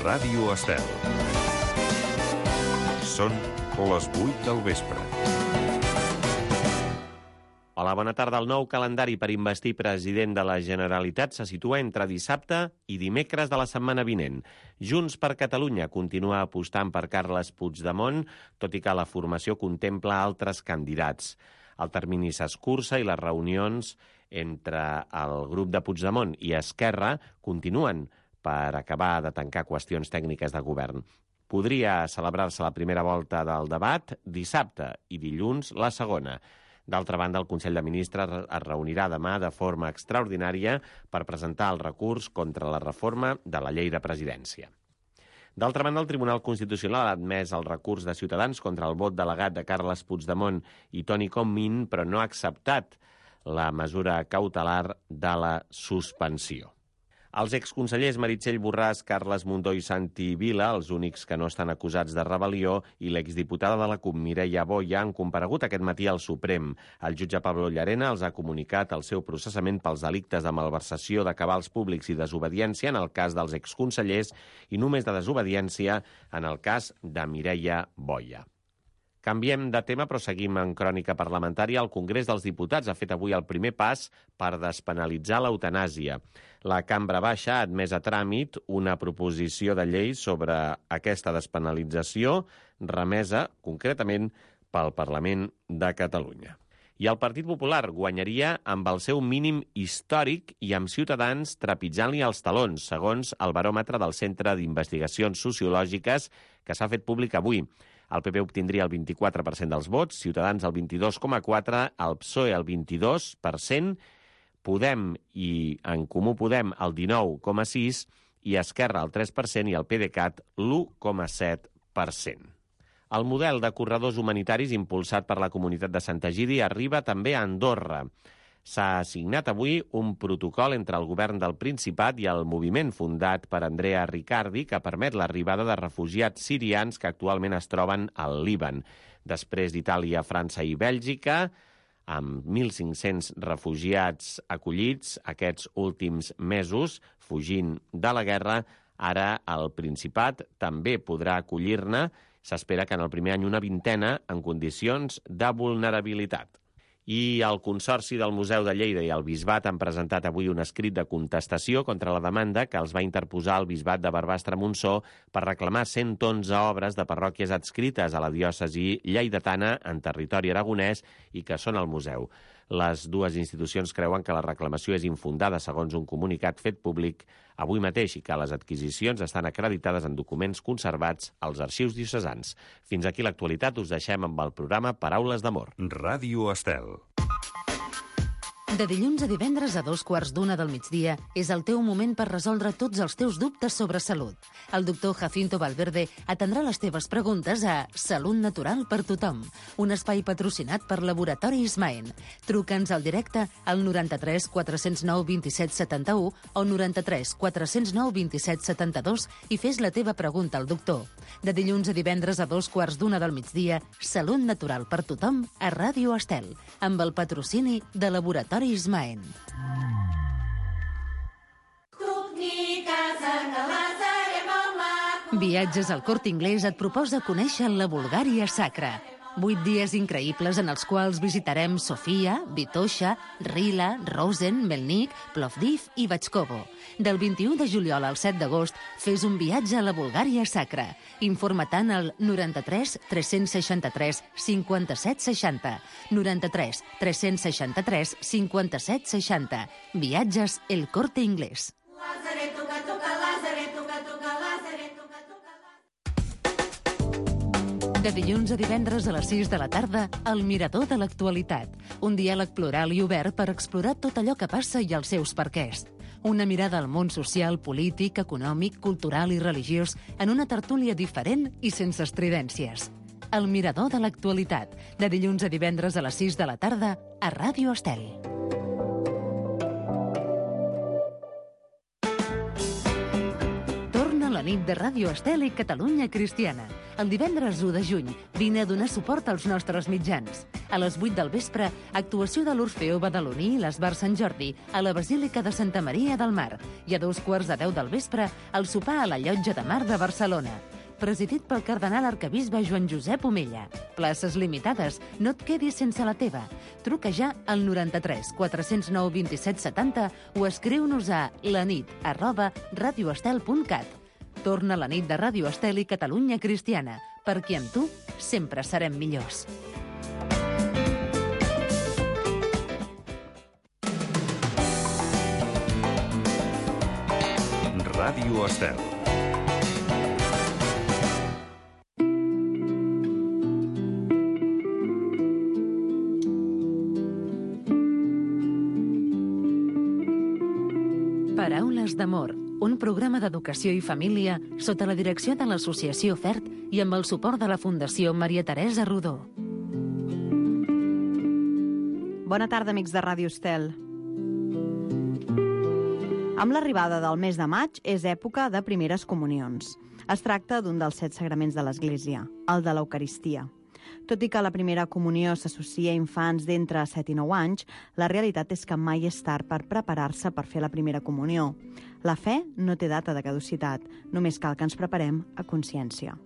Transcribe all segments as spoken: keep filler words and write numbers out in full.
Ràdio Estel. Són les vuit del vespre. Hola, bona tarda. El nou calendari per investir president de la Generalitat se situa entre dissabte i dimecres de la setmana vinent. Junts per Catalunya continua apostant per Carles Puigdemont, tot i que la formació contempla altres candidats. El termini s'escurça i les reunions entre el grup de Puigdemont i Esquerra continuen per acabar de tancar qüestions tècniques de govern. Podria celebrar-se la primera volta del debat dissabte i dilluns la segona. D'altra banda, el Consell de Ministres es reunirà demà de forma extraordinària per presentar el recurs contra la reforma de la llei de presidència. D'altra banda, el Tribunal Constitucional ha admès el recurs de Ciutadans contra el vot delegat de Carles Puigdemont i Toni Comín, però no ha acceptat la mesura cautelar de la suspensió. Els exconsellers Meritxell Borràs, Carles Mundó i Santi Vila, els únics que no estan acusats de rebel·lió, i l'exdiputada de la CUP, Mireia Boya, han comparegut aquest matí al Suprem. El jutge Pablo Llarena els ha comunicat el seu processament pels delictes de malversació de cabals públics i desobediència en el cas dels exconsellers i només de desobediència en el cas de Mireia Boya. Canviem de tema, però seguim en crònica parlamentària. El Congrés dels Diputats ha fet avui el primer pas per despenalitzar l'eutanàsia. La Cambra Baixa ha admès a tràmit una proposició de llei sobre aquesta despenalització, remesa concretament pel Parlament de Catalunya. I el Partit Popular guanyaria amb el seu mínim històric i amb Ciutadans trepitjant-li els talons, segons el baròmetre del Centre d'Investigacions Sociològiques que s'ha fet públic avui. El P P obtindria el vint-i-quatre per cent dels vots, Ciutadans el vint-i-dos coma quatre per cent, el P S O E el vint-i-dos per cent, Podem i En Comú Podem el dinou coma sis per cent i Esquerra el tres per cent i el PDeCAT l'u coma set per cent. El model de corredors humanitaris impulsat per la comunitat de Sant Egidi arriba també a Andorra. S'ha signat avui un protocol entre el govern del Principat i el moviment fundat per Andrea Riccardi que permet l'arribada de refugiats sirians que actualment es troben al Líban. Després d'Itàlia, França i Bèlgica, amb mil cinc-cents refugiats acollits aquests últims mesos, fugint de la guerra, ara el Principat també podrà acollir-ne. S'espera que en el primer any una vintena en condicions de vulnerabilitat. I el Consorci del Museu de Lleida i el Bisbat han presentat avui un escrit de contestació contra la demanda que els va interposar el Bisbat de Barbastre-Montsó per reclamar cent onze obres de parròquies adscrites a la diòcesi lleidatana en territori aragonès i que són al museu. Les dues institucions creuen que la reclamació és infundada segons un comunicat fet públic avui mateix i que les adquisicions estan acreditades en documents conservats als arxius diocesans. Fins aquí l'actualitat, us deixem amb el programa Paraules d'Amor. Ràdio Estel. De dilluns a divendres a dos quarts d'una del migdia és el teu moment per resoldre tots els teus dubtes sobre salut. El doctor Jacinto Valverde atendrà les teves preguntes a Salut Natural per Tothom, un espai patrocinat per Laboratori Ismaen. Truca'ns al directe al noranta-tres quatre-cents nou vint-i-set setanta-u o noranta-tres quatre-cents nou vint-i-set setanta-dos i fes la teva pregunta al doctor. De dilluns a divendres a dos quarts d'una del migdia, Salut Natural per Tothom a Ràdio Estel, amb el patrocini de Laboratori Ismaen. Viatges al Corte Inglés et proposa conèixer la Bulgària sacra. Vuit dies increïbles en els quals visitarem Sofia, Vitoša, Rila, Rosen, Melnik, Plovdiv i Batxkovo. Del vint-i-u de juliol al set d'agost, fes un viatge a la Bulgària sacra. Informa-te'n al noranta-tres tres-cents seixanta-tres cinquanta-set seixanta. noranta-tres tres-cents seixanta-tres cinquanta-set seixanta. Viatges El Corte Inglés. De dilluns a divendres a les sis de la tarda, El Mirador de l'Actualitat. Un diàleg plural i obert per explorar tot allò que passa i els seus perquès. Una mirada al món social, polític, econòmic, cultural i religiós en una tertúlia diferent i sense estridències. El Mirador de l'Actualitat. De dilluns a divendres a les sis de la tarda a Ràdio Estel. Torna la nit de Ràdio Estel i Catalunya Cristiana. El divendres u de juny vine a donar suport als nostres mitjans. A les vuit del vespre, actuació de l'Orfeó Badaloní i l'Esbar Sant Jordi a la Basílica de Santa Maria del Mar. I a dos quarts de deu del vespre, el sopar a la Llotja de Mar de Barcelona. Presidit pel cardenal arquebisbe Joan Josep Omella. Places limitades, no et quedis sense la teva. Truca ja al noranta-tres quatre-cents nou vint-i-set setanta o escriu-nos a lanit arroba radioestel punt cat. Torna la nit de Ràdio Estel i Catalunya Cristiana, perquè amb tu sempre serem millors. Ràdio Estel. Paraules d'amor, un programa d'educació i família sota la direcció de l'Associació FERT i amb el suport de la Fundació Maria Teresa Rodó. Bona tarda, amics de Ràdio Estel. Amb l'arribada del mes de maig és època de primeres comunions. Es tracta d'un dels set sagraments de l'Església, el de l'Eucaristia. Tot i que la primera comunió s'associa a infants d'entre set i nou anys, la realitat és que mai és tard per preparar-se per fer la primera comunió. La fe no té data de caducitat, només cal que ens preparem a consciència.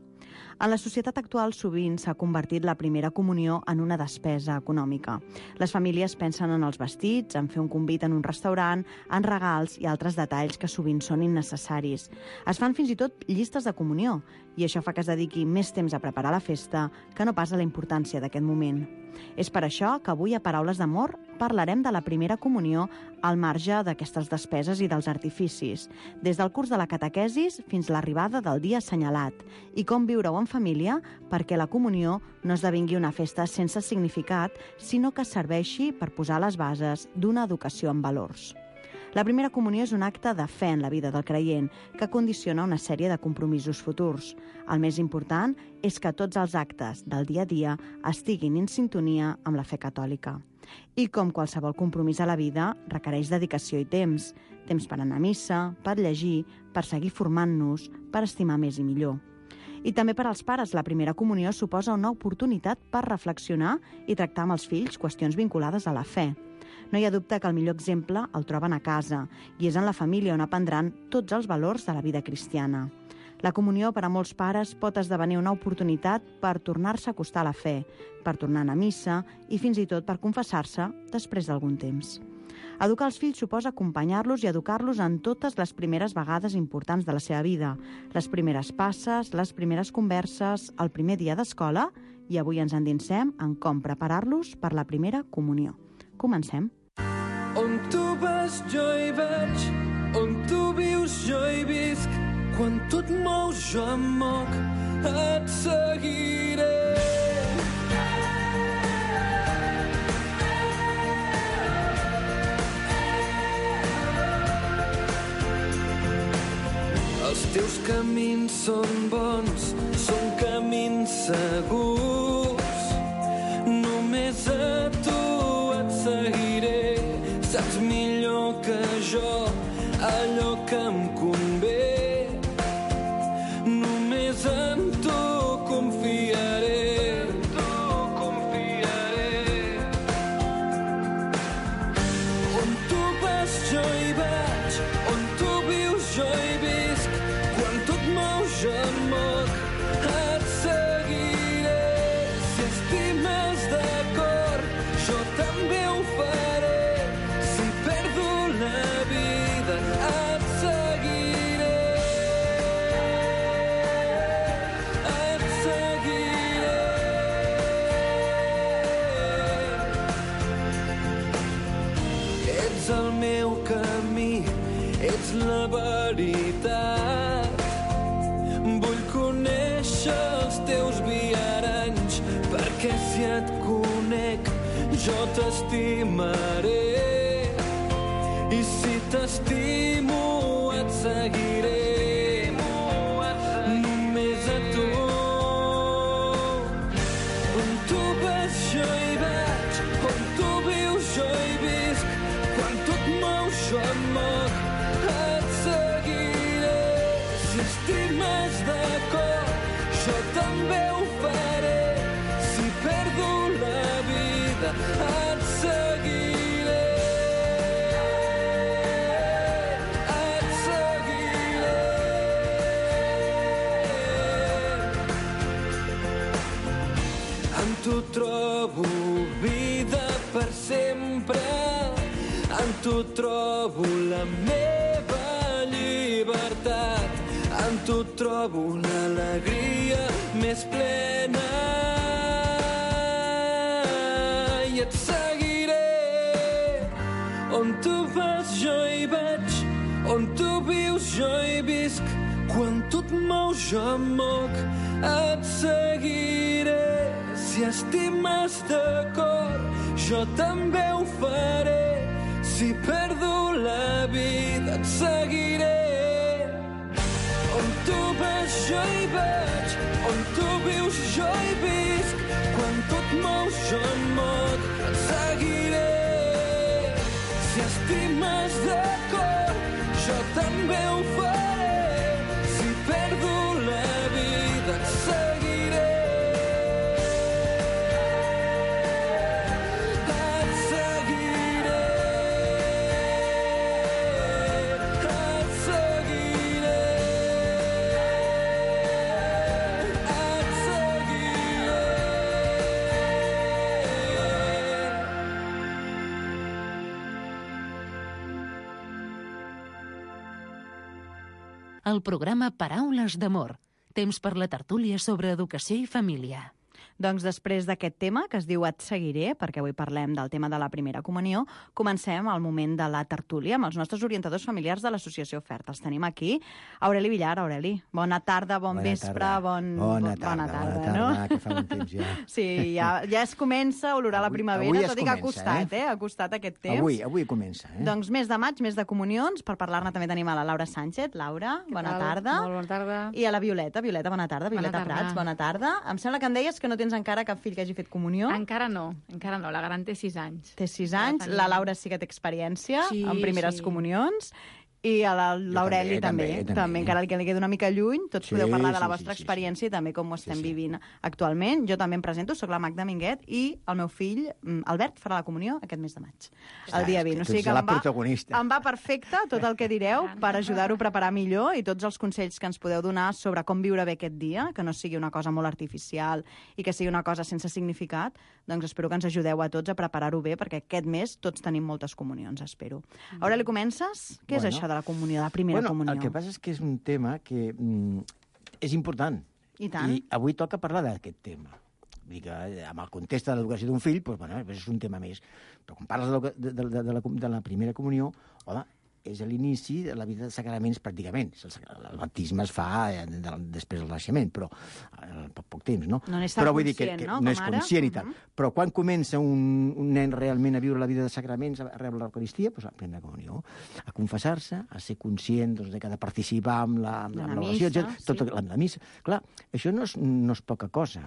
En la societat actual sovint s'ha convertit la primera comunió en una despesa econòmica. Les famílies pensen en els vestits, en fer un convit en un restaurant, en regals i altres detalls que sovint són innecessaris. Es fan fins i tot llistes de comunió i això fa que es dediqui més temps a preparar la festa que no pas a la importància d'aquest moment. És per això que avui a Paraules d'Amor parlarem de la primera comunió al marge d'aquestes despeses i dels artificis, des del curs de la catequesis fins a l'arribada del dia assenyalat, i com viure-ho en família perquè la comunió no esdevingui una festa sense significat, sinó que serveixi per posar les bases d'una educació en valors. La primera comunió és un acte de fe en la vida del creient que condiciona una sèrie de compromisos futurs. El més important és que tots els actes del dia a dia estiguin en sintonia amb la fe catòlica. I com qualsevol compromís a la vida, requereix dedicació i temps. Temps per anar a missa, per llegir, per seguir formant-nos, per estimar més i millor. I també per als pares, la primera comunió suposa una oportunitat per reflexionar i tractar amb els fills qüestions vinculades a la fe. No hi ha dubte que el millor exemple el troben a casa i és en la família on aprendran tots els valors de la vida cristiana. La comunió per a molts pares pot esdevenir una oportunitat per tornar-se a acostar a la fe, per tornar a anar a missa i fins i tot per confessar-se després d'algun temps. Educar els fills suposa acompanyar-los i educar-los en totes les primeres vegades importants de la seva vida, les primeres passes, les primeres converses, el primer dia d'escola, i avui ens endinsem en com preparar-los per la primera comunió. Comencem. On tu vas jo hi vaig, on tu vius jo hi visc, quan tu et mous jo em moc, et seguiré. Els teus camins són bons, són camins segurs. Només a tu et seguiré. Saps millor que jo allò que em convé. Només en tu confiaré. En tu confiaré. On tu vas jo hi vaig, on tu vius jo hi visc. Quan tu et mous jo em moc, et seguiré. Si estimes de cor, jo també ho faré. Si perdo la vida, et seguiré. Et seguiré. Ets el meu camí, ets la veritat. Vull conèixer els teus viaranys, perquè si et conec jo t'estimaré. I si t'estimo et seguiré. Només a tu. On tu vas jo hi vaig, on tu vius jo hi visc. Quan tu et mous jo em moc, et seguiré. Si Si estimes de cor, jo també ho faré. Si perdo la vida, et seguiré. Et seguiré. En tu trobo vida per sempre. En tu trobo la meva llibertat. En tu trobo una alegria més plena. I et seguiré. On tu vas jo hi vaig. On tu vius jo hi visc. Quan tu et mous jo em moc. Et seguiré. Si estimes de cor, jo també ho faré. Si perdo la vida, et seguiré. On tu vas, jo hi vaig. On tu vius, jo hi visc. Quan tu et mous, jo em moc. Et seguiré. Si estimes de cor, jo també ho faré. Si perdo la vida, et seguiré. El programa Paraules d'Amor. Temps per la tertúlia sobre educació i família. Doncs després d'aquest tema, que es diu Et seguiré, perquè avui parlem del tema de la primera comunió, comencem al moment de la tertúlia amb els nostres orientadors familiars de l'Associació Oferta. Els tenim aquí. Aureli Villar, Aureli, bona tarda, bon bona vespre, tarda. bon... Bona tarda, bona tarda, bona tarda, no? que fa un temps ja. Sí, ja, ja es comença a olorar la Avui- primavera, avui es tot i que ha comença, costat, eh? eh? Ha costat aquest temps. Avui, avui comença, eh? Doncs mes de maig, mes de comunions, per parlar-ne també tenim a la Laura Sánchez. Laura, Què bona tal? tarda. Molt bona tarda. I a la Violeta. Violeta, bona tarda. Bona Violeta tarda. Prats, bona tarda. Em sembla que em deies que no tens encara cap fill que hagi fet comunió. Encara no, encara no. La gran té sis anys. Té sis Ja anys. tenim. La Laura sí que té experiència Sí, en primeres sí. comunions. I a la- l'Aureli també, també, també, també, també. encara que li queda una mica lluny, tots Sí, podeu parlar de la sí, vostra sí, sí, experiència i també com ho estem sí. vivint actualment. Jo també em presento, sóc la Magda Minguet i el meu fill, mm, Albert, farà la comunió aquest mes de maig, el dia és que vint. O tu sigui ets que la em va, protagonista. em va perfecte tot el que direu per ajudar-ho a preparar millor i tots els consells que ens podeu donar sobre com viure bé aquest dia, que no sigui una cosa molt artificial i que sigui una cosa sense significat, doncs espero que ens ajudeu a tots a preparar-ho bé, perquè aquest mes tots tenim moltes comunions, espero. Aureli, comences? Què és Bueno. això de la comunió, de la primera bueno, comunió? el que passa és que és un tema que mm, és important. I tant. I avui toca parlar d'aquest tema. Vull dir que eh, amb el context de l'educació d'un fill, doncs, bueno, és un tema més. Però quan parles de, de, de, de, la, de la primera comunió, home, és l'inici de la vida de sacraments pràcticament. El, el baptisme es fa eh, de, després del naixement, però eh, poc, poc temps, no? No n'és tan però vull dir que, conscient, que no, no com és ara? conscient i tal. Mhm. Però quan comença un, un nen realment a viure la vida de sacraments, a rebre l'Eucaristia, doncs a la primera comunió, a confessar-se, a ser conscient doncs, de que ha de participar amb la, amb De la amb l'oració, missa, etcètera, sí. tot amb la missa. Clar, això no és, no és poca cosa,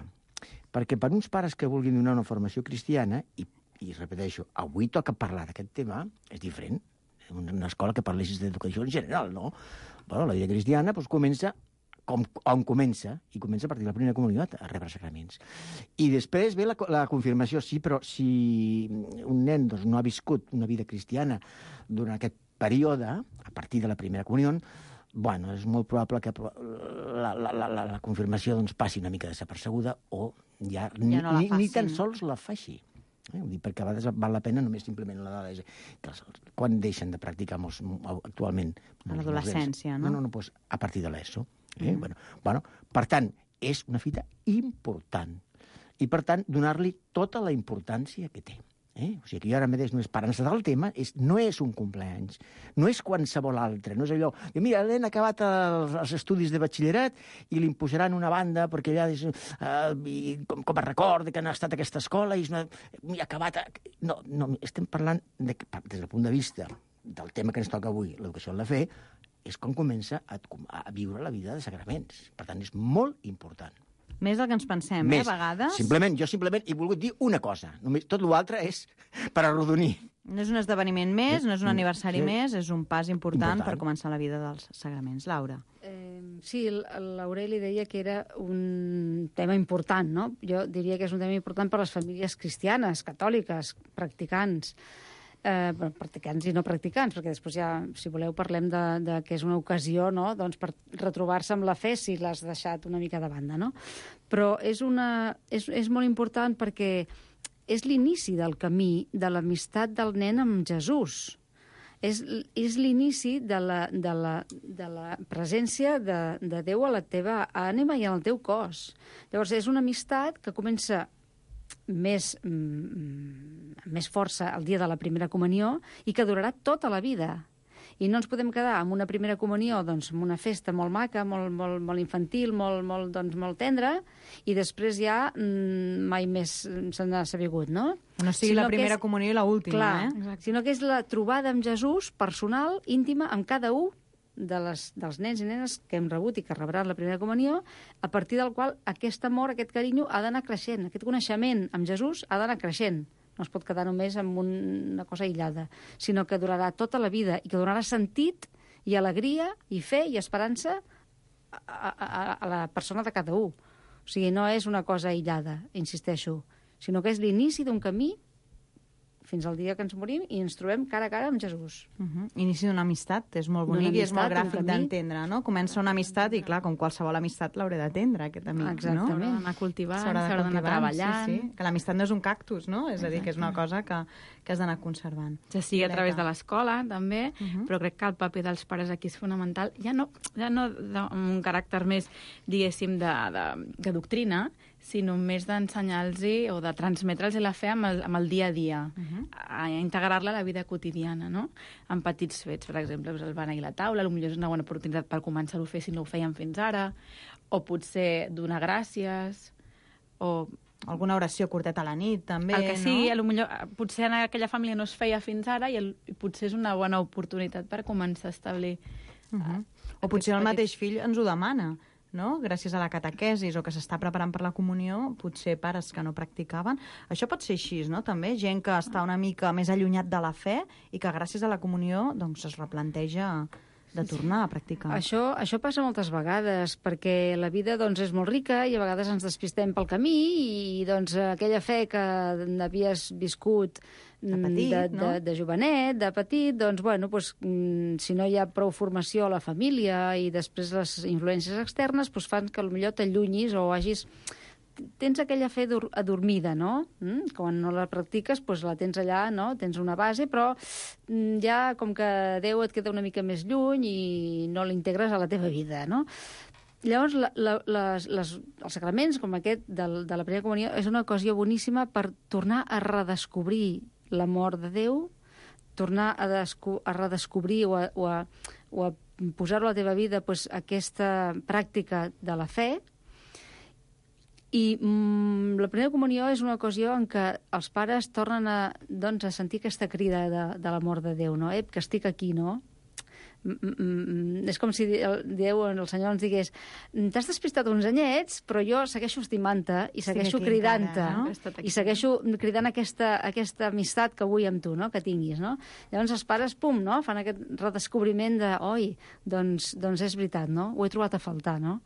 perquè per uns pares que vulguin donar una formació cristiana, i, i repeteixo, avui toca parlar d'aquest tema, és diferent. Una escola que parlessis d'educació en general, no? Bueno, la vida cristiana doncs, comença com, on comença, i comença a partir de la primera comunitat, a rebre sacraments. I després ve la, la confirmació, sí, però si un nen doncs, no ha viscut una vida cristiana durant aquest període, a partir de la primera comunió, bueno, és molt probable que la, la, la, la, la confirmació doncs, passi una mica desapercebuda o ja, ni, Ja no la ni, ni tan facin. sols la faci. Eh? Vull dir, perquè a vegades val la pena només simplement la dada. Quan deixen de practicar molts, actualment? A l'adolescència, no? No, no, no, doncs a partir de l'ESO. Eh? Mm. Bueno, bueno, per tant, és una fita important. I, per tant, donar-li tota la importància que té. Eh? O sigui que jo ara mateix només per encetar el tema és, no és un compleanys, no és qualsevol altre, no és allò... Jo, mira, l'hem acabat els, els estudis de batxillerat i li imposaran una banda perquè allà és, uh, i com, com a record que han estat a aquesta escola i és una... i ha acabat... A... No, no, estem parlant de, des del punt de vista del tema que ens toca avui, l'educació en la fe, és com comença a, a viure la vida de sacraments. Per tant, és molt important. Més del que ens pensem, Més. eh, a vegades. Simplement, jo simplement he volgut dir una cosa. Només, tot l'altre és per arrodonir. No és un esdeveniment més, no és un Mm, aniversari sí. més, és un pas important, Important. per començar la vida dels sagraments. Laura. Eh, sí, l'Aureli deia que era un tema important, no? Jo diria que és un tema important per a les famílies cristianes, catòliques, practicants, eh, practicants i no practicants, perquè després ja, si voleu, parlem de, de que és una ocasió, no?, doncs per retrobar-se amb la fe si l'has deixat una mica de banda, no? Però és, una, és, és molt important perquè és l'inici del camí de l'amistat del nen amb Jesús. És, és l'inici de la, de, la, de la presència de, de Déu a la teva ànima i al teu cos. Llavors, és una amistat que comença més, mm, més força el dia de la primera comunió i que durarà tota la vida. I no ens podem quedar amb una primera comunió, doncs, amb una festa molt maca, molt, molt, molt infantil, molt, molt, doncs, molt tendra, i després ja mm, mai més se n'ha sabigut, no? No sigui sinó la primera és, comunió i l'última, clar, eh? Exacte. Sinó que és la trobada amb Jesús personal, íntima, amb cada un de les, dels nens i nenes que hem rebut i que rebran la primera comunió, a partir del qual aquest amor, aquest carinyo ha d'anar creixent, aquest coneixement amb Jesús ha d'anar creixent. No es pot quedar només amb una cosa aïllada, sinó que durarà tota la vida i que donarà sentit i alegria i fe i esperança a, a, a la persona de cada un. O sigui, no és una cosa aïllada, insisteixo, sinó que és l'inici d'un camí fins al dia que ens morim i ens trobem cara a cara amb Jesús. Uh -huh. Inici d'una amistat, és molt bonic i és molt gràfic d'entendre, no? Comença una amistat i, clar, com qualsevol amistat l'hauré d'atendre, aquest amic, exactament, no? S'haurà d'anar cultivant, s'haurà d'anar treballant. Sí, sí. Que l'amistat no és un cactus, no? És a dir, que és una cosa que, que has d'anar conservant. Ja sigui a través de l'escola, també, uh -huh. però crec que el paper dels pares aquí és fonamental, ja no, ja no amb un caràcter més, diguéssim, de, de, de doctrina, sinó més d'ensenyar-los o de transmetre'ls la fe amb el, amb el dia a dia, uh -huh. a integrar-la a la vida quotidiana, no? En petits fets, per exemple, el beneir la taula, potser és una bona oportunitat per començar-ho a fer si no ho feien fins ara, o potser donar gràcies, o alguna oració curteta a la nit, també, el que sigui, no? Millor, potser en aquella família no es feia fins ara i, el, i potser és una bona oportunitat per començar a establir... Uh -huh. O potser el mateix fill ens ho demana, no? Gràcies a la catequesis o que s'està preparant per la comunió, potser pares que no practicaven. Això pot ser així, no? També gent que està una mica més allunyat de la fe i que gràcies a la comunió doncs, es replanteja de tornar a practicar. Això, això passa moltes vegades, perquè la vida doncs, és molt rica i a vegades ens despistem pel camí i doncs, aquella fe que havies viscut de, petit, de, no? de, de jovenet, de petit, doncs, bueno, doncs, si no hi ha prou formació a la família i després les influències externes doncs, fan que potser t'allunyis o hagis... Tens aquella fe adormida, no? Mm? Quan no la practiques, doncs la tens allà, no? Tens una base, però ja com que Déu et queda una mica més lluny i no l'integres a la teva vida, no? Llavors, la, la, les, les, els sacraments com aquest de, de la primera comunió és una ocasió boníssima per tornar a redescobrir l'amor de Déu, tornar a, desco a redescobrir o a, o a, o a posar-ho a la teva vida doncs, aquesta pràctica de la fe. I mm, la primera comunió és una ocasió en què els pares tornen a, doncs, a sentir aquesta crida de, de l'amor de Déu, no? Ep, que estic aquí, no? Mm, mm, és com si el, Déu, el Senyor ens digués t'has despistat uns anyets, però jo segueixo estimant-te i segueixo cridant-te, no? I segueixo cridant aquesta, aquesta amistat que vull amb tu, no? Que tinguis, no? Llavors els pares, pum, no? Fan aquest redescobriment de, oi, doncs, doncs és veritat, no? Ho he trobat a faltar, no?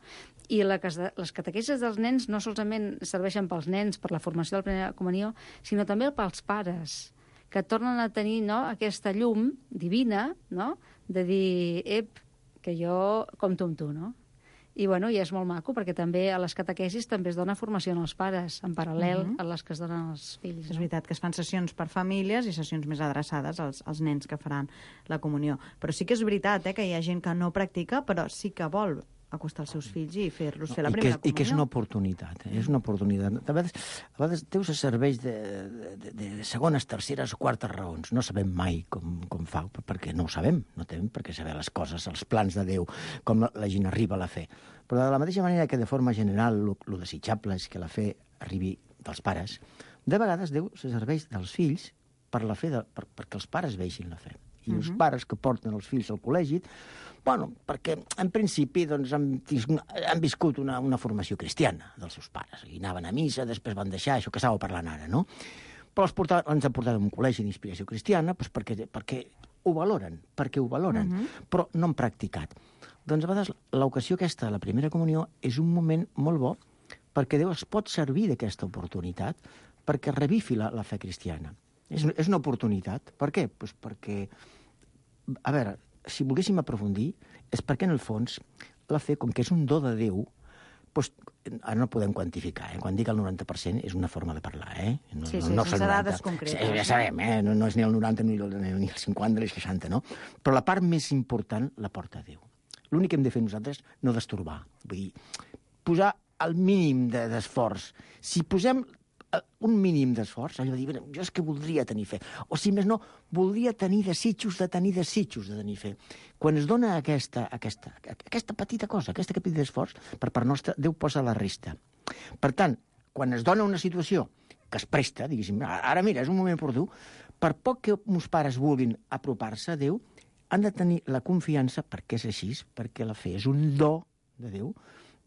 I la, les catequesis dels nens no solament serveixen pels nens, per la formació de la primera comunió, sinó també pels pares, que tornen a tenir, no, aquesta llum divina, no?, de dir, ep, que jo compto amb tu, no? I, bueno, i és molt maco, perquè també a les catequesis també es dona formació als pares, en paral·lel uh-huh. a les que es donen als fills. No? És veritat que es fan sessions per famílies i sessions més adreçades als, als nens que faran la comunió. Però sí que és veritat eh, que hi ha gent que no practica, però sí que vol acostar els seus fills i fer-los fer la primera comunió. I que és una oportunitat, eh? És una oportunitat. A vegades, a vegades Déu se serveix de, de, de segones, terceres o quartes raons. No sabem mai com, com fa, perquè no ho sabem, no tenim per què saber les coses, els plans de Déu, com la, la gent arriba a la fe. Però de la mateixa manera que de forma general el desitjable és que la fe arribi dels pares, de vegades Déu se serveix dels fills per la fe de, per, perquè els pares vegin la fe. I uh-huh. els pares que porten els fills al col·legi, bueno, perquè en principi doncs, han, han viscut una, una formació cristiana dels seus pares. I anaven a missa, després van deixar això que estava parlant ara, no? Però els portaven, ens han portat a un col·legi d'inspiració cristiana doncs perquè, perquè ho valoren, perquè ho valoren, uh-huh. però no han practicat. Doncs a vegades l'ocasió aquesta, la primera comunió, és un moment molt bo perquè Déu es pot servir d'aquesta oportunitat perquè revifi la, la fe cristiana. És, és una oportunitat. Per què? Pues perquè, a veure, si volguéssim aprofundir, és perquè, en el fons, la fe, com que és un do de Déu, doncs, ara no podem quantificar, eh? Quan dic el noranta per cent és una forma de parlar, eh? No, sí, sí, no, no sense noranta. dades concretes. Sí, ja sabem, eh? No, no és ni el noranta, ni el, ni el cinquanta, ni el seixanta, no? Però la part més important la porta Déu. L'únic que hem de fer nosaltres no destorbar. Vull dir, posar el mínim de, d'esforç. Si posem un mínim d'esforç, allò de dir, jo és que voldria tenir fe. O si més no, voldria tenir desitjos de tenir desitjos de tenir fe. Quan es dona aquesta, aquesta, aquesta petita cosa, aquesta petit d'esforç, per part nostra, Déu posa la resta. Per tant, quan es dona una situació que es presta, diguéssim, ara mira, és un moment oportú, per poc que meus pares vulguin apropar-se a Déu, han de tenir la confiança, perquè és així, perquè la fe és un do de Déu,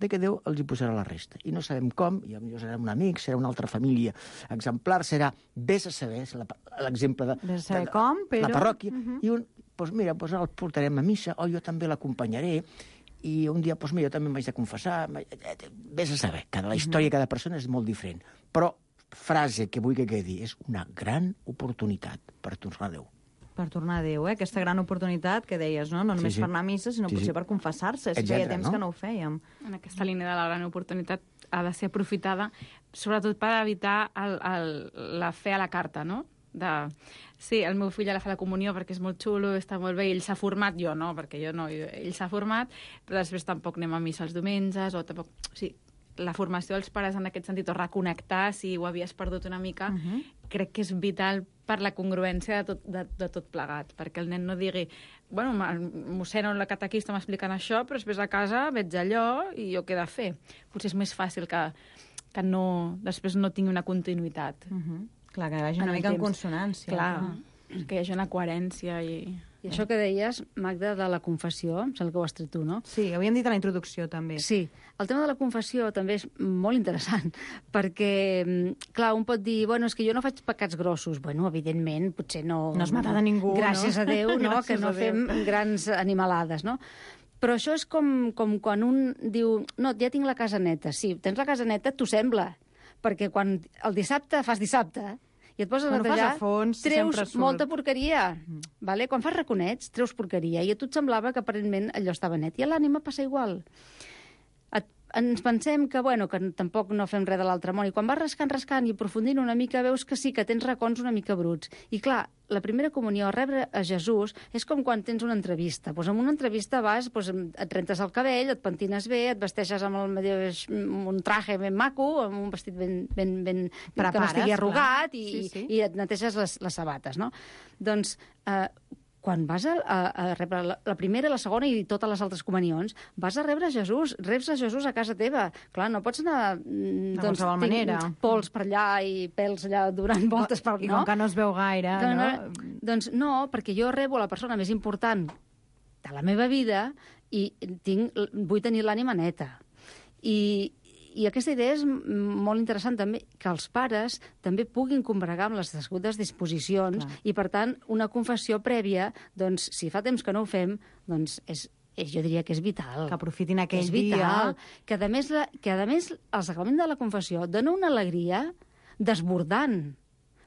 de que Déu els hi posarà la resta. I no sabem com, i potser serà un amic, serà una altra família exemplar, serà, vés a saber, és l'exemple de, vés a saber de, de com, però... la parròquia, uh -huh. i un, doncs mira, doncs el portarem a missa, o jo també l'acompanyaré, i un dia, doncs mira, jo també m'haig de confessar, vés a saber, cada la història de cada persona és molt diferent, però frase que vull que quedi, és una gran oportunitat per tornar a Déu. Per tornar a Déu, eh? Aquesta gran oportunitat que deies, no? No només sí, sí. per anar a missa, sinó sí, potser sí. per confessar-se. És que Etcètera, feia temps no? que no ho fèiem. En aquesta línia de la gran oportunitat ha de ser aprofitada, sobretot per evitar el, el, la fe a la carta, no? De, sí, el meu fill ja la fa la comunió perquè és molt xulo, està molt bé, ell s'ha format, jo no, perquè jo no, ell s'ha format, però després tampoc anem a missa els diumenges, o tampoc... O sigui, la formació dels pares en aquest sentit, o reconnectar si ho havies perdut una mica, uh -huh. crec que és vital per la congruència de tot, de, de tot plegat, perquè el nen no digui, bueno, mossèn la catequista m'explicant això, però després a casa veig allò i jo què he de fer. Potser és més fàcil que, que no, després no tingui una continuïtat. Uh -huh. Clar, que vagi una en mica el en temps. consonància. Clar, clar, que hi hagi una coherència i... I això que deies, Magda, de la confessió, em sembla que ho has tret tu, no? Sí, ho havíem dit a la introducció, també. Sí, el tema de la confessió també és molt interessant, perquè, clar, un pot dir, bueno, és que jo no faig pecats grossos. Bueno, evidentment, potser no... No has matat a ningú, Gràcies no? a Déu, no?, Gràcies que no a Déu. fem grans animalades, no? Però això és com, com quan un diu, no, ja tinc la casa neta. Sí, tens la casa neta, t'ho sembla, perquè quan el dissabte fas dissabte, i et poses Quan a netejar, fas a fons, treus sempre surt. molta porqueria. Mm. Vale? Quan fas raconets, treus porqueria. I a tu et semblava que aparentment allò estava net. I a l'ànima passa igual. Et, ens pensem que, bueno, que tampoc no fem res de l'altre món. I quan vas rascant, rascant i aprofundint una mica, veus que sí, que tens racons una mica bruts. I clar, la primera comunió, a rebre a Jesús, és com quan tens una entrevista. Pues en una entrevista vas, pues, et rentes el cabell, et pentines bé, et vesteixes amb el mateix, un traje ben maco, amb un vestit ben, ben, ben Prepares, que no estigui arrugat, clar. i, Sí, sí. i et neteges les, les sabates, no? Doncs, eh, quan vas a, a, a rebre la, la primera, la segona i totes les altres comunions, vas a rebre Jesús, reps a Jesús a casa teva. Clar, no pots anar... De qualsevol manera. Pols per allà i pèls allà donant voltes per... I no? com que no es veu gaire, Doncs, no? Doncs no, perquè jo rebo la persona més important de la meva vida i tinc, vull tenir l'ànima neta. I, I aquesta idea és molt interessant també, que els pares també puguin combregar amb les degudes disposicions. Clar. I, per tant, una confessió prèvia, doncs, si fa temps que no ho fem, doncs és, és jo diria que és vital. Que aprofitin aquell és vital. dia. Que, a més, la, que, a més, el sacrament de la confessió dona una alegria desbordant,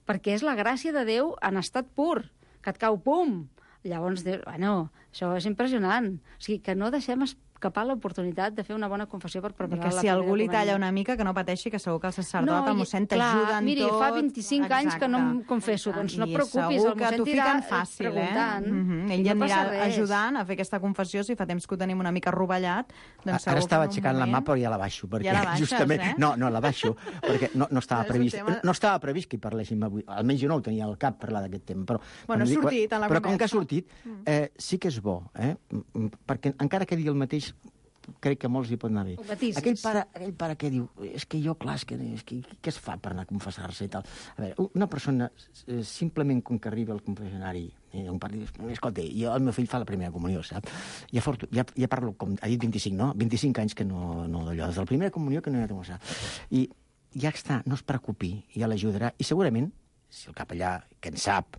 perquè és la gràcia de Déu en estat pur, que et cau pum. Llavors, bueno, això és impressionant. O sigui, que no deixem escapar l'oportunitat de fer una bona confessió per preparar que la si primera algú li comunió. talla una mica, que no pateixi, que segur que el sacerdot, el mossèn, i- clar, t'ajuda en miri, tot. fa vint-i-cinc anys que no em Exacte. confesso, doncs no et I preocupis, segur el que mossèn t'ho t'irà fiquen fàcil, preguntant. eh? Mm-hmm. Ell No ja passa anirà res. ajudant a fer aquesta confessió, si fa temps que ho tenim una mica rovellat. Doncs Ara segur estava que en un aixecant la mà, moment- però ja la baixo. Perquè Ja la baixes, justament... eh? No, no, la baixo, perquè no, no, estava És un previst, tema- no estava previst que hi parléssim avui. Almenys jo no ho tenia al cap, parlar d'aquest tema. Però, Bueno, quan ha dic- sortit en la Però com que ha conversa. sortit, eh, sí que és bo, eh? Mm, perquè encara que digui el mateix, crec que molts hi pot anar bé. Ho matisis. Aquell pare, aquell pare que diu, és que jo, clar, és que, és que què es fa per anar a confessar-se i tal? A veure, una persona, eh, simplement com que arriba al confessionari, eh, un pare diu, escolta, jo, el meu fill fa la primera comunió, sap? Ja, fortu, ja, ja parlo, com ha dit vint-i-cinc, no? vint-i-cinc anys que no, no d'allò, des de la primera comunió que no hi ha de confessar. I ja està, no es preocupi, ja l'ajudarà. I segurament, si el capellà, que en sap,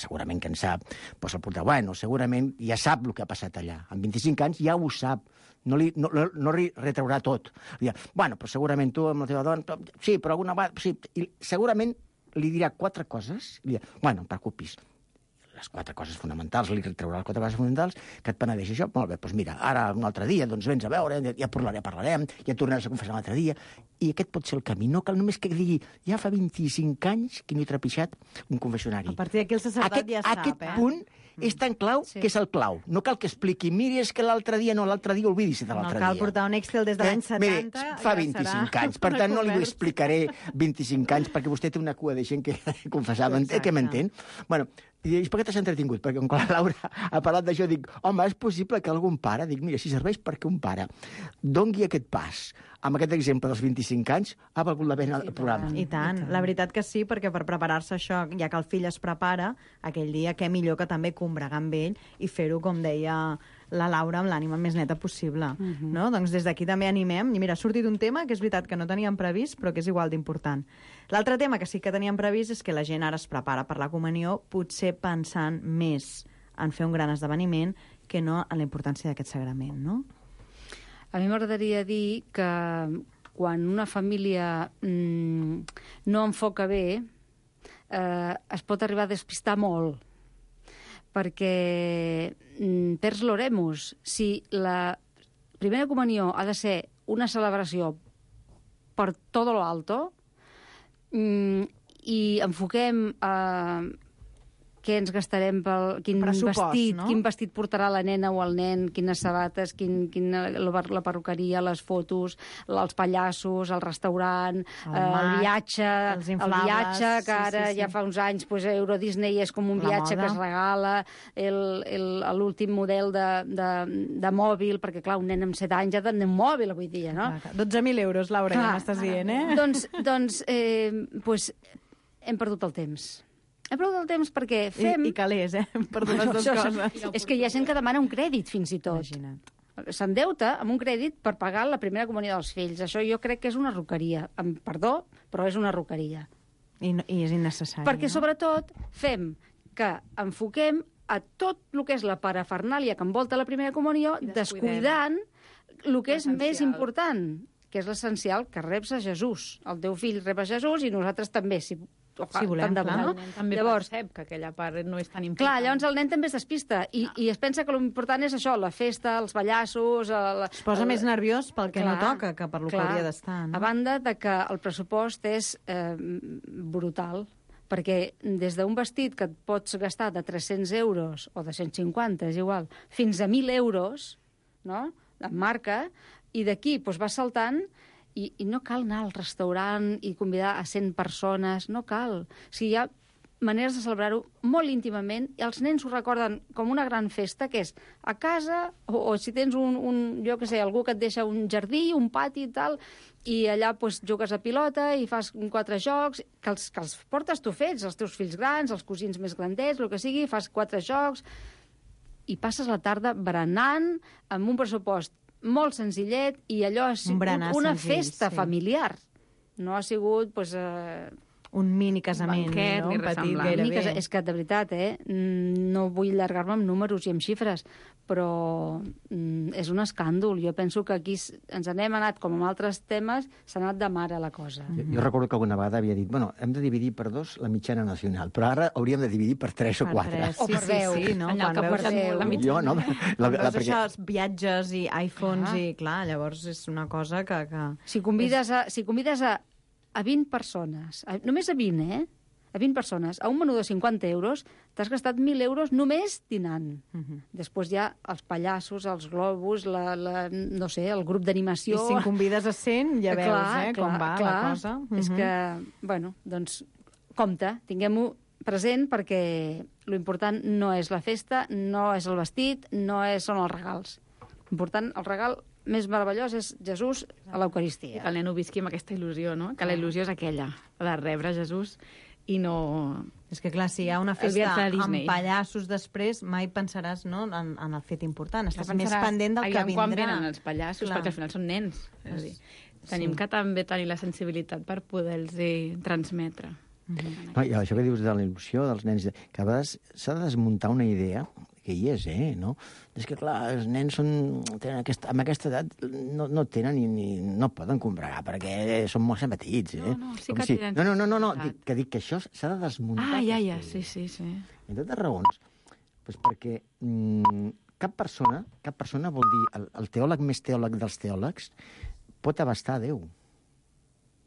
segurament que en sap, doncs el portarà, bueno, segurament ja sap el que ha passat allà. Amb vint-i-cinc anys ja ho sap. No, li, no, no li retraurà tot. Li dirà, bueno, però segurament tu amb la teva dona... Sí, però alguna vegada... Sí. I segurament li dirà quatre coses. I li dirà, bueno, no et preocupis. Les quatre coses fonamentals, li retraurà les quatre coses fonamentals, que et penedeix això. Molt bé, doncs mira, ara un altre dia, doncs vens a veure, ja parlarem, parlarem, ja tornaràs a confessar un altre dia. I aquest pot ser el camí. No cal només que digui, ja fa vint-i-cinc anys que no he trepitjat un confessionari. A partir d'aquí el sacerdot aquest, ja sap, aquest eh? punt és tan clau Sí. que és el clau. No cal que expliqui, miri, és que l'altre dia no, l'altre dia oblidis de l'altre No dia. cal portar un Excel des de l'any setanta. Mire, fa ja vint-i-cinc serà anys, per una tant no li conversa. explicaré vint-i-cinc anys, perquè vostè té una cua de gent que confessava, Exacte. que m'entén? Bueno, i per què t'has entretingut? Perquè quan la Laura ha parlat d'això, dic, home, és possible que algun pare, dic, mira, si serveix perquè un pare dongui aquest pas, amb aquest exemple dels vint-i-cinc anys, ha valgut la pena el programa. I tant, la veritat que sí, perquè per preparar-se això, ja que el fill es prepara, aquell dia, què millor que també combregar amb ell i fer-ho, com deia la Laura, amb l'ànima més neta possible. Uh -huh. No? Doncs des d'aquí també animem. I mira, ha sortit un tema que és veritat que no teníem previst, però que és igual d'important. L'altre tema que sí que teníem previst és que la gent ara es prepara per la comunió, potser pensant més en fer un gran esdeveniment que no en la importància d'aquest sagrament, no? A mi m'agradaria dir que quan una família mm, no enfoca bé, eh, es pot arribar a despistar molt, perquè mm, perds l'oremus. Si la primera comunió ha de ser una celebració per tot lo alto, mm, i enfoquem a què ens gastarem pel quin Pressupost, vestit, no? quin vestit portarà la nena o el nen, quines sabates, quin, quin, la, la perruqueria, les fotos, els pallassos, el restaurant, El el, eh, mat, el viatge, els el inflables, viatge, que sí, ara sí, sí. ja fa uns anys pues, Euro Disney és com un La viatge moda. que es regala, el- el- l'últim model de, de, de mòbil, perquè clar, un nen amb set anys ja té un mòbil avui dia, no? dotze mil euros, Laura, Clar. ja m'estàs dient, eh? Doncs, doncs eh, pues, hem perdut el temps. Hem perdut el temps perquè fem... I, i calés, eh? Per les dues Això, coses. És que hi ha gent que demana un crèdit, fins i tot. Imagina't. S'endeuta amb un crèdit per pagar la primera comunió dels fills. Això jo crec que és una roqueria. Amb perdó, però és una roqueria. I, no, I és innecessari, Perquè, no? sobretot, fem que enfoquem a tot el que és la parafernàlia que envolta la primera comunió, I descuidem descuidant el que és més l'essencial. important, que és l'essencial, que reps a Jesús. El teu fill rep a Jesús i nosaltres també, si, Si volem, tant de bo, clar. no? El nen també Llavors, percep que aquella part no és tan important. clar, llavors el nen també es despista i, i es pensa que l'important és això, la festa, els ballassos... El, Es posa el, més nerviós pel que Clar, no toca que per lo que clar. hauria d'estar, no? A banda de que el pressupost és eh, brutal, perquè des d'un vestit que et pots gastar de tres-cents euros o de cent cinquanta, és igual, fins a mil euros, no?, en marca, i d'aquí doncs, vas saltant i, i no cal anar al restaurant i convidar a cent persones, no cal. O sigui, hi ha maneres de celebrar-ho molt íntimament i els nens ho recorden com una gran festa, que és a casa, o, o si tens un, un, jo què sé, algú que et deixa un jardí, un pati i tal, i allà pues, jugues a pilota i fas quatre jocs, que els, que els portes tu fets, els teus fills grans, els cosins més grandets, el que sigui, fas quatre jocs, i passes la tarda berenant amb un pressupost molt senzillet i allò ha sigut berenar una senzill, festa sí. familiar. No ha sigut, pues, eh, Un mini casament, banquet, no? ni Un res petit semblant. Ni gairebé. que, és que, de veritat, eh, mm, no vull allargar-me amb números i amb xifres, però mm, és un escàndol. Jo penso que aquí s- ens n'hem anat, com amb altres temes, s'ha anat de mare la cosa. Jo, jo recordo que alguna vegada havia dit, bueno, hem de dividir per dos la mitjana nacional, però ara hauríem de dividir per tres o Per quatre. tres. O Sí, per sí, deu. sí, no? En lloc Quan que veus porten deu. la mitjana. Jo, no? La, Quan la, veus perquè... això, els viatges i iPhones Ah. i, clar, llavors és una cosa que... que... Si convides a, si convides a, a vint persones, a, només a vint, eh? A vint persones, a un menú de cinquanta euros, t'has gastat mil euros només dinant. Uh -huh. Després hi ha els pallassos, els globus, la, la, no sé, el grup I d'animació... si en convides a cent, ja veus, Clar, eh, com clar, va clar. la cosa. Uh -huh. És que, bueno, doncs, compte, tinguem-ho present perquè l'important no és la festa, no és el vestit, no és, són els regals. L'important, el regal més meravellós és Jesús a l'Eucaristia. Que el nen ho visqui amb aquesta il·lusió, no? Que la il·lusió és aquella, la de rebre Jesús i no... És que, clar, si hi ha una El festa viatge a amb Disney. pallassos després, mai pensaràs, no?, en, en el fet important. Estàs Pensaràs, més pendent del que aviam vindrà. quan venen els pallassos, Clar. perquè al final són nens. És a dir, tenim sí. que també tenir la sensibilitat per poder-los transmetre. No, i això que dius de la il·lusió dels nens, que a vegades s'ha de desmuntar una idea que hi és, eh, no? És que, clar, els nens són, tenen aquesta, amb aquesta edat no, no tenen ni, ni... no poden combregar, perquè són molt petits, eh? No, no, sí Com que si... tenen No, no, no, no, no sensibilitat. dic, que dic que això s'ha de desmuntar. Ah, ja, ja, aquesta sí, idea. sí, sí. Entre altres raons, doncs perquè mm, cap persona, cap persona vol dir, el, el teòleg més teòleg dels teòlegs pot abastar a Déu.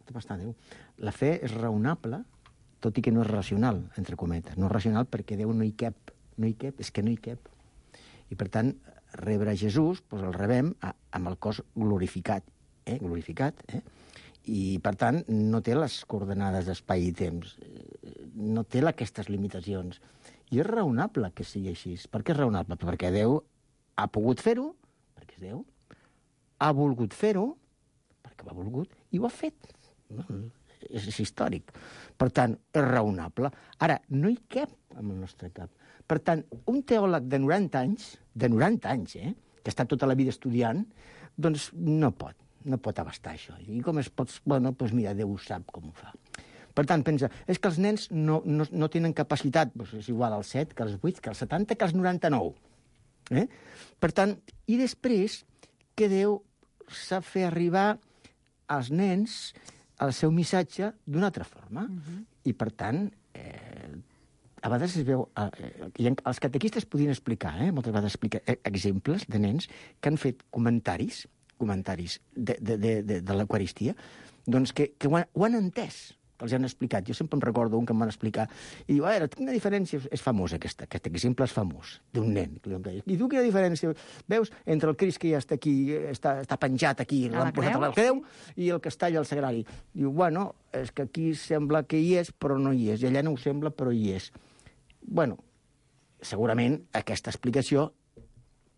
Pot abastar a Déu. La fe és raonable, tot i que no és racional, entre cometes. No és racional perquè Déu no hi cap. No hi cap, és que no hi cap. I, per tant, rebre Jesús, doncs el rebem a, amb el cos glorificat. Eh? Glorificat, eh? I, per tant, no té les coordenades d'espai i temps. No té aquestes limitacions. I és raonable que sigui així. Per què és raonable? Perquè Déu ha pogut fer-ho, perquè és Déu, ha volgut fer-ho, perquè ho ha volgut, i ho ha fet. No? És, és històric. Per tant, és raonable. Ara, no hi cap amb el nostre cap. Per tant, un teòleg de noranta anys, de noranta anys, eh, que està tota la vida estudiant, doncs no pot, no pot abastar això. I com es pot... Bueno, doncs mira, Déu sap com ho fa. Per tant, pensa, és que els nens no, no, no tenen capacitat, doncs és igual als set, que als vuit, que als setanta, que als noranta-nou. Eh? Per tant, i després que Déu sap fer arribar als nens el seu missatge d'una altra forma. Uh-huh. I, per tant, eh, a vegades es veu... Eh, i els catequistes podien explicar, eh, moltes vegades explicar exemples de nens que han fet comentaris, comentaris de, de, de, de, de l'Eucaristia, doncs que, que ho han, ho han entès, que els han explicat. Jo sempre em recordo un que em van explicar i diu, a veure, quina diferència... És famós, aquesta, aquest exemple és famós, d'un nen. I tu quina diferència veus entre el Crist que ja està aquí, està, està penjat aquí, l'han posat a la creu, i el que està allà al sagrari? Diu, bueno, és que aquí sembla que hi és, però no hi és, i allà no ho sembla, però hi és. Bueno, segurament aquesta explicació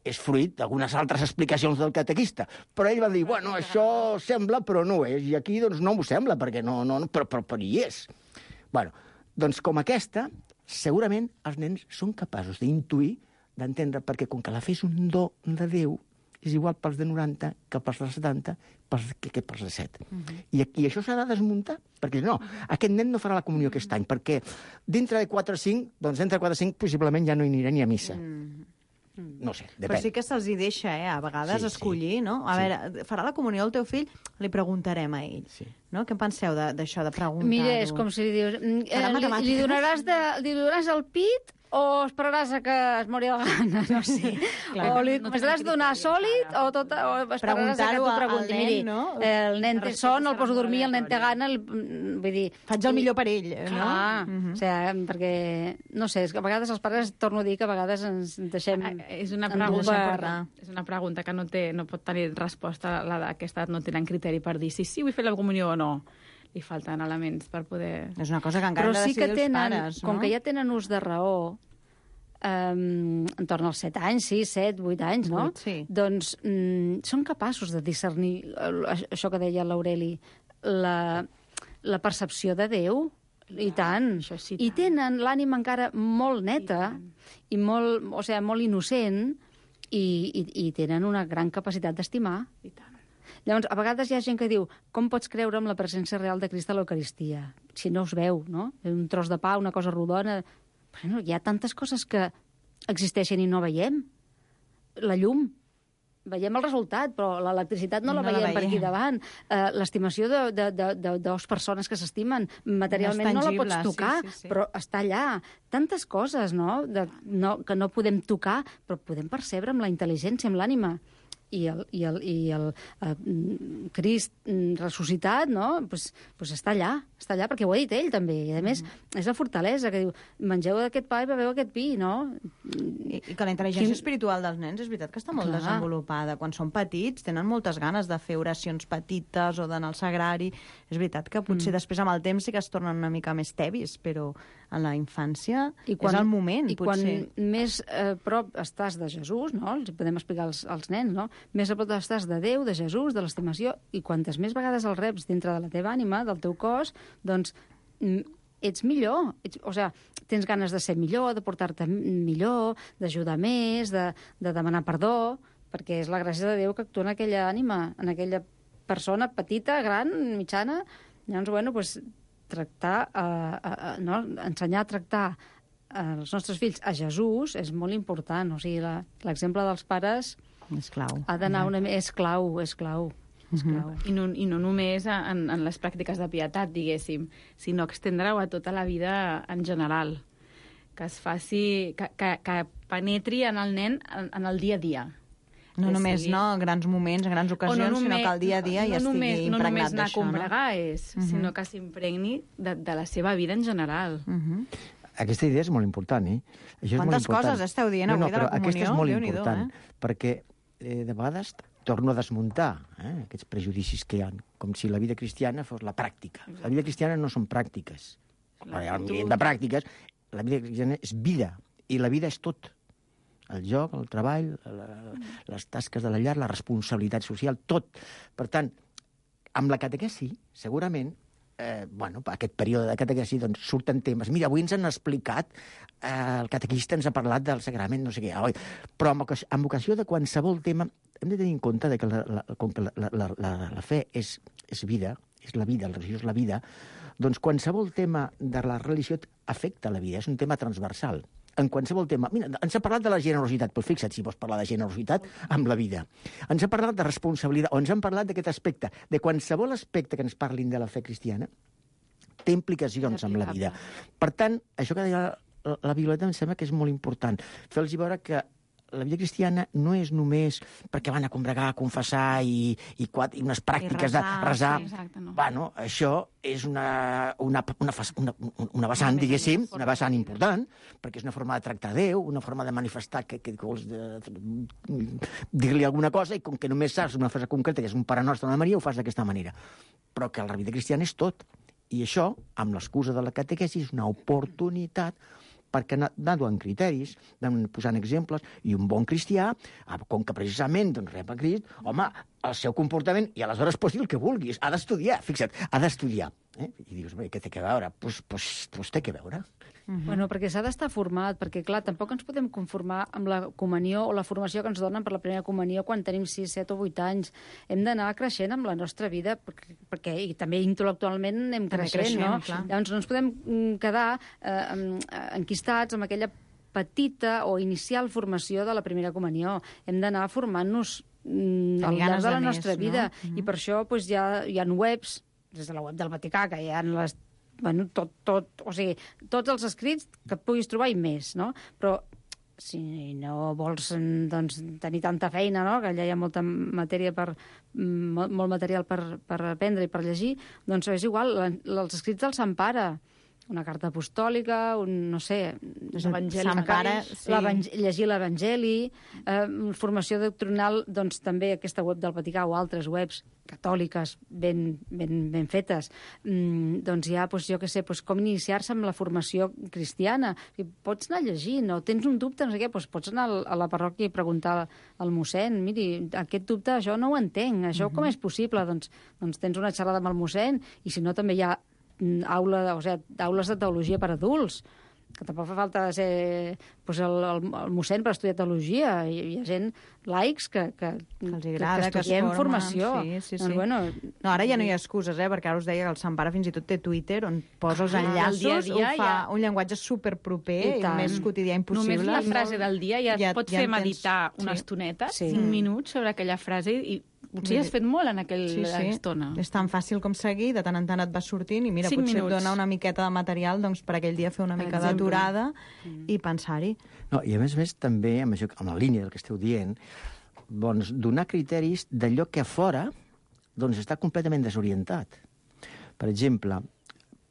és fruit d'algunes altres explicacions del catequista. Però ell va dir, bueno, això sembla, però no és. I aquí, doncs, no m'ho sembla, perquè no, no, però, però, però hi és. Bueno, doncs, com aquesta, segurament els nens són capaços d'intuir, d'entendre, perquè com que la fe és un do de Déu, és igual pels de noranta que pels de setanta, pels, que, que pels de set. Uh-huh. I, I això s'ha de desmuntar, perquè no, aquest nen no farà la comunió aquest any, perquè dintre de quatre o cinc, doncs dintre de quatre o cinc possiblement ja no hi anirà ni a missa. Uh-huh. No sé, depèn. Però sí que se'ls hi deixa, eh, a vegades, sí, escollir, sí. No? A sí. veure, farà la comunió el teu fill? Li preguntarem a ell. Sí. No? Què en penseu d'això, de, de preguntar-ho? Mira, és com si li dius... Eh, li, li, donaràs de, li donaràs el pit o esperaràs a que es mori el gana? No sé. Clar, o li no començaràs a donar sòlid o, tot, o esperaràs a que t'ho pregunti. Nen, Miri, no? el nen té son, el poso a dormir, el nen té gana, el, vull dir... Faig el millor per ell, clar, no? Uh-huh. O sigui, perquè, no sé, és que a vegades els pares, torno a dir que a vegades ens deixem... És una pregunta, és una pregunta que no, té, no pot tenir resposta, la d'aquesta edat no tenen criteri per dir si sí vull fer la comunió o no. Li falten elements per poder... És una cosa que encara han de decidir els pares, no? Com que ja tenen ús de raó, um, entorn als set anys, sis, set, vuit anys, no? vuit, sí. Doncs um, són capaços de discernir això que deia l'Aureli, la, la percepció de Déu, i tant. Això sí, I tenen l'ànima encara molt neta i, i molt, o sigui, molt innocent i, i, i tenen una gran capacitat d'estimar. I tant. Llavors, a vegades hi ha gent que diu com pots creure en la presència real de Crist a l'Eucaristia? Si no us veu, no? Un tros de pa, una cosa rodona... Bueno, hi ha tantes coses que existeixen i no veiem. La llum, veiem el resultat, però l'electricitat no, no la veiem, la veiem per aquí davant. Uh, L'estimació de, de, de, de dues persones que s'estimen, materialment no, no la pots tocar, sí, sí, sí. Però està allà. Tantes coses, no? De, no? Que no podem tocar, però podem percebre amb la intel·ligència, amb l'ànima. I el, i el, i el uh, Crist ressuscitat, no? Pues, pues està allà, està allà, perquè ho ha dit ell també. I a més, mm. és la fortalesa que diu, mengeu d'aquest pa i beveu aquest vi, no? I, i que la intel·ligència Quin... espiritual dels nens és veritat que està molt Clar. desenvolupada. Quan són petits tenen moltes ganes de fer oracions petites o d'anar al sagrari. És veritat que potser mm. després amb el temps sí que es tornen una mica més tevis, però en la infància I quan, és el moment, i potser. I quan més a eh, prop estàs de Jesús, no? Els podem explicar als, als nens, no? Més a prop estàs de Déu, de Jesús, de l'estimació, i quantes més vegades el reps dintre de la teva ànima, del teu cos, doncs ets millor. Ets, o sigui, tens ganes de ser millor, de portar-te millor, d'ajudar més, de, de demanar perdó, perquè és la gràcia de Déu que actua en aquella ànima, en aquella persona petita, gran, mitjana. Llavors, bueno, doncs, tractar, eh, eh, no? ensenyar a tractar els nostres fills a Jesús és molt important. O sigui, la- l'exemple dels pares És clau. ha d'anar una... És clau, és clau. És clau. I no, I no només en, en les pràctiques de pietat, diguéssim, sinó extendre-ho a tota la vida en general. Que es faci... Que, que, que penetri en el nen en, en el dia a dia. No Que només sigui- no, grans moments, grans ocasions, sinó que el dia a dia no, ja estigui només, no només impregnat anar a d'això, no? combregar, és, Mhm. sinó que s'impregni de, de la seva vida en general. Mhm. Aquesta idea és molt important, eh? Això és Quantes molt important. coses esteu dient no, no, avui de la però aquesta és comunió? molt Déu-n'hi-do, important, eh? perquè eh, de vegades torno a desmuntar eh, aquests prejudicis que hi ha, com si la vida cristiana fos la pràctica. La vida cristiana no són pràctiques. Hi ha un milió de pràctiques. La vida cristiana és vida, i la vida és tot. El joc, el treball, la, les tasques de la llar, la responsabilitat social, tot. Per tant, amb la catequesi, segurament, eh, bueno, aquest període de catequesi, doncs, surten temes. Mira, avui ens han explicat, eh, el catequista ens ha parlat del sagrament, no sé què, oi? Però amb, ocasió- amb ocasió de qualsevol tema, hem de tenir en compte de que la, la, com que la, la, la, la fe és, és vida, és la vida, la religió és la vida, doncs qualsevol tema de la religió afecta la vida, és un tema transversal. En qualsevol tema. Mira, ens ha parlat de la generositat, però fixa't si vols parlar de generositat amb la vida. Ens ha parlat de responsabilitat, o ens han parlat d'aquest aspecte. De qualsevol aspecte que ens parlin de la fe cristiana té implicacions amb la vida. Per tant, això que deia la, la Violeta em sembla que és molt important. Fer-los veure que la vida cristiana no és només perquè van a combregar, a confessar i, i, quatre, i unes pràctiques resar, de resar. sí, exacte, no. Bueno, això és una, una, una, fas- una, una vessant, diguéssim, una vessant important, perquè és una forma de tractar Déu, una forma de manifestar que, que, que vols de, dir-li alguna cosa, i com que només saps una frase concreta, que és un Pare Nostre de Maria, ho fas d'aquesta manera. Però que la vida cristiana és tot. I això, amb l'excusa de la catequesi, és una oportunitat perquè anar anar donant criteris, anar posant exemples, i un bon cristià, ah, com que precisament doncs, rep a Crist, home, el seu comportament, i aleshores pots dir el que vulguis, ha d'estudiar, fixa't, ha d'estudiar. Eh? I dius, bé, què té que veure? Doncs pues, pues, pues té que veure. Uh-huh. Bueno, perquè s'ha d'estar format, perquè, clar, tampoc ens podem conformar amb la comunió o la formació que ens donen per la primera comunió quan tenim sis, set o vuit anys. Hem d'anar creixent amb la nostra vida, perquè, perquè i també intel·lectualment anem També creixent, creixem, no? clar. Llavors no ens podem mm, quedar eh, em- enquistats amb aquella petita o inicial formació de la primera comunió. Hem d'anar formant-nos mm, al Tenir llarg ganes de la de més, nostra no? vida. Mhm. I per això doncs, hi, ha, hi ha webs, des de la web del Vaticà, que hi ha les bueno, tot, tot, o sigui, tots els escrits que et puguis trobar i més, no? Però si no vols doncs, tenir tanta feina, no? Que allà hi ha molta matèria per, molt, molt material per, per aprendre i per llegir, doncs és igual, la, els escrits del Sant Pare, una carta apostòlica, un, no sé... L'Evangeli Sant Pare, mateix. sí. Llegir l'Evangeli, eh, formació doctrinal, doncs també aquesta web del Vaticà o altres webs catòliques ben, ben, ben fetes. Mm, doncs hi ha, doncs, jo què sé, doncs com iniciar-se amb la formació cristiana. I pots anar llegint, o tens un dubte, no sé què, doncs pots anar a la parròquia i preguntar al mossèn, miri, aquest dubte, això no ho entenc, això uh-huh. com és possible? Doncs, doncs tens una xerrada amb el mossèn, i si no també hi ha aula, o sigui, aules de teologia per adults, que tampoc fa falta ser pues, el, el, el mossèn per estudiar teologia. Hi, hi ha gent laics que, que, Que els agrada, que, que es estudiem formen, formació. sí, sí, sí. Doncs, bueno, No, ara ja no hi ha excuses, eh? Perquè ara us deia que el Sant Pare fins i tot té Twitter, on posa els Ah, enllaços, el dia a dia ho fa ja. un llenguatge superproper I i, tant. més quotidià impossible. Només la frase del dia ja, Ja- ja pot ja fer en tens- meditar una sí. estoneta, Sí. cinc minuts, sobre aquella frase, i potser ja has fet molt en aquella Sí, sí. estona. És tan fàcil com seguir, de tant en tant et vas sortint i mira, Cinc potser minuts. et dona una miqueta de material doncs, per aquell dia fer una Per mica exemple. d'aturada i pensar-hi. No, i a més a més també, amb, això, amb la línia del que esteu dient, doncs, donar criteris d'allò que a fora doncs, està completament desorientat. Per exemple,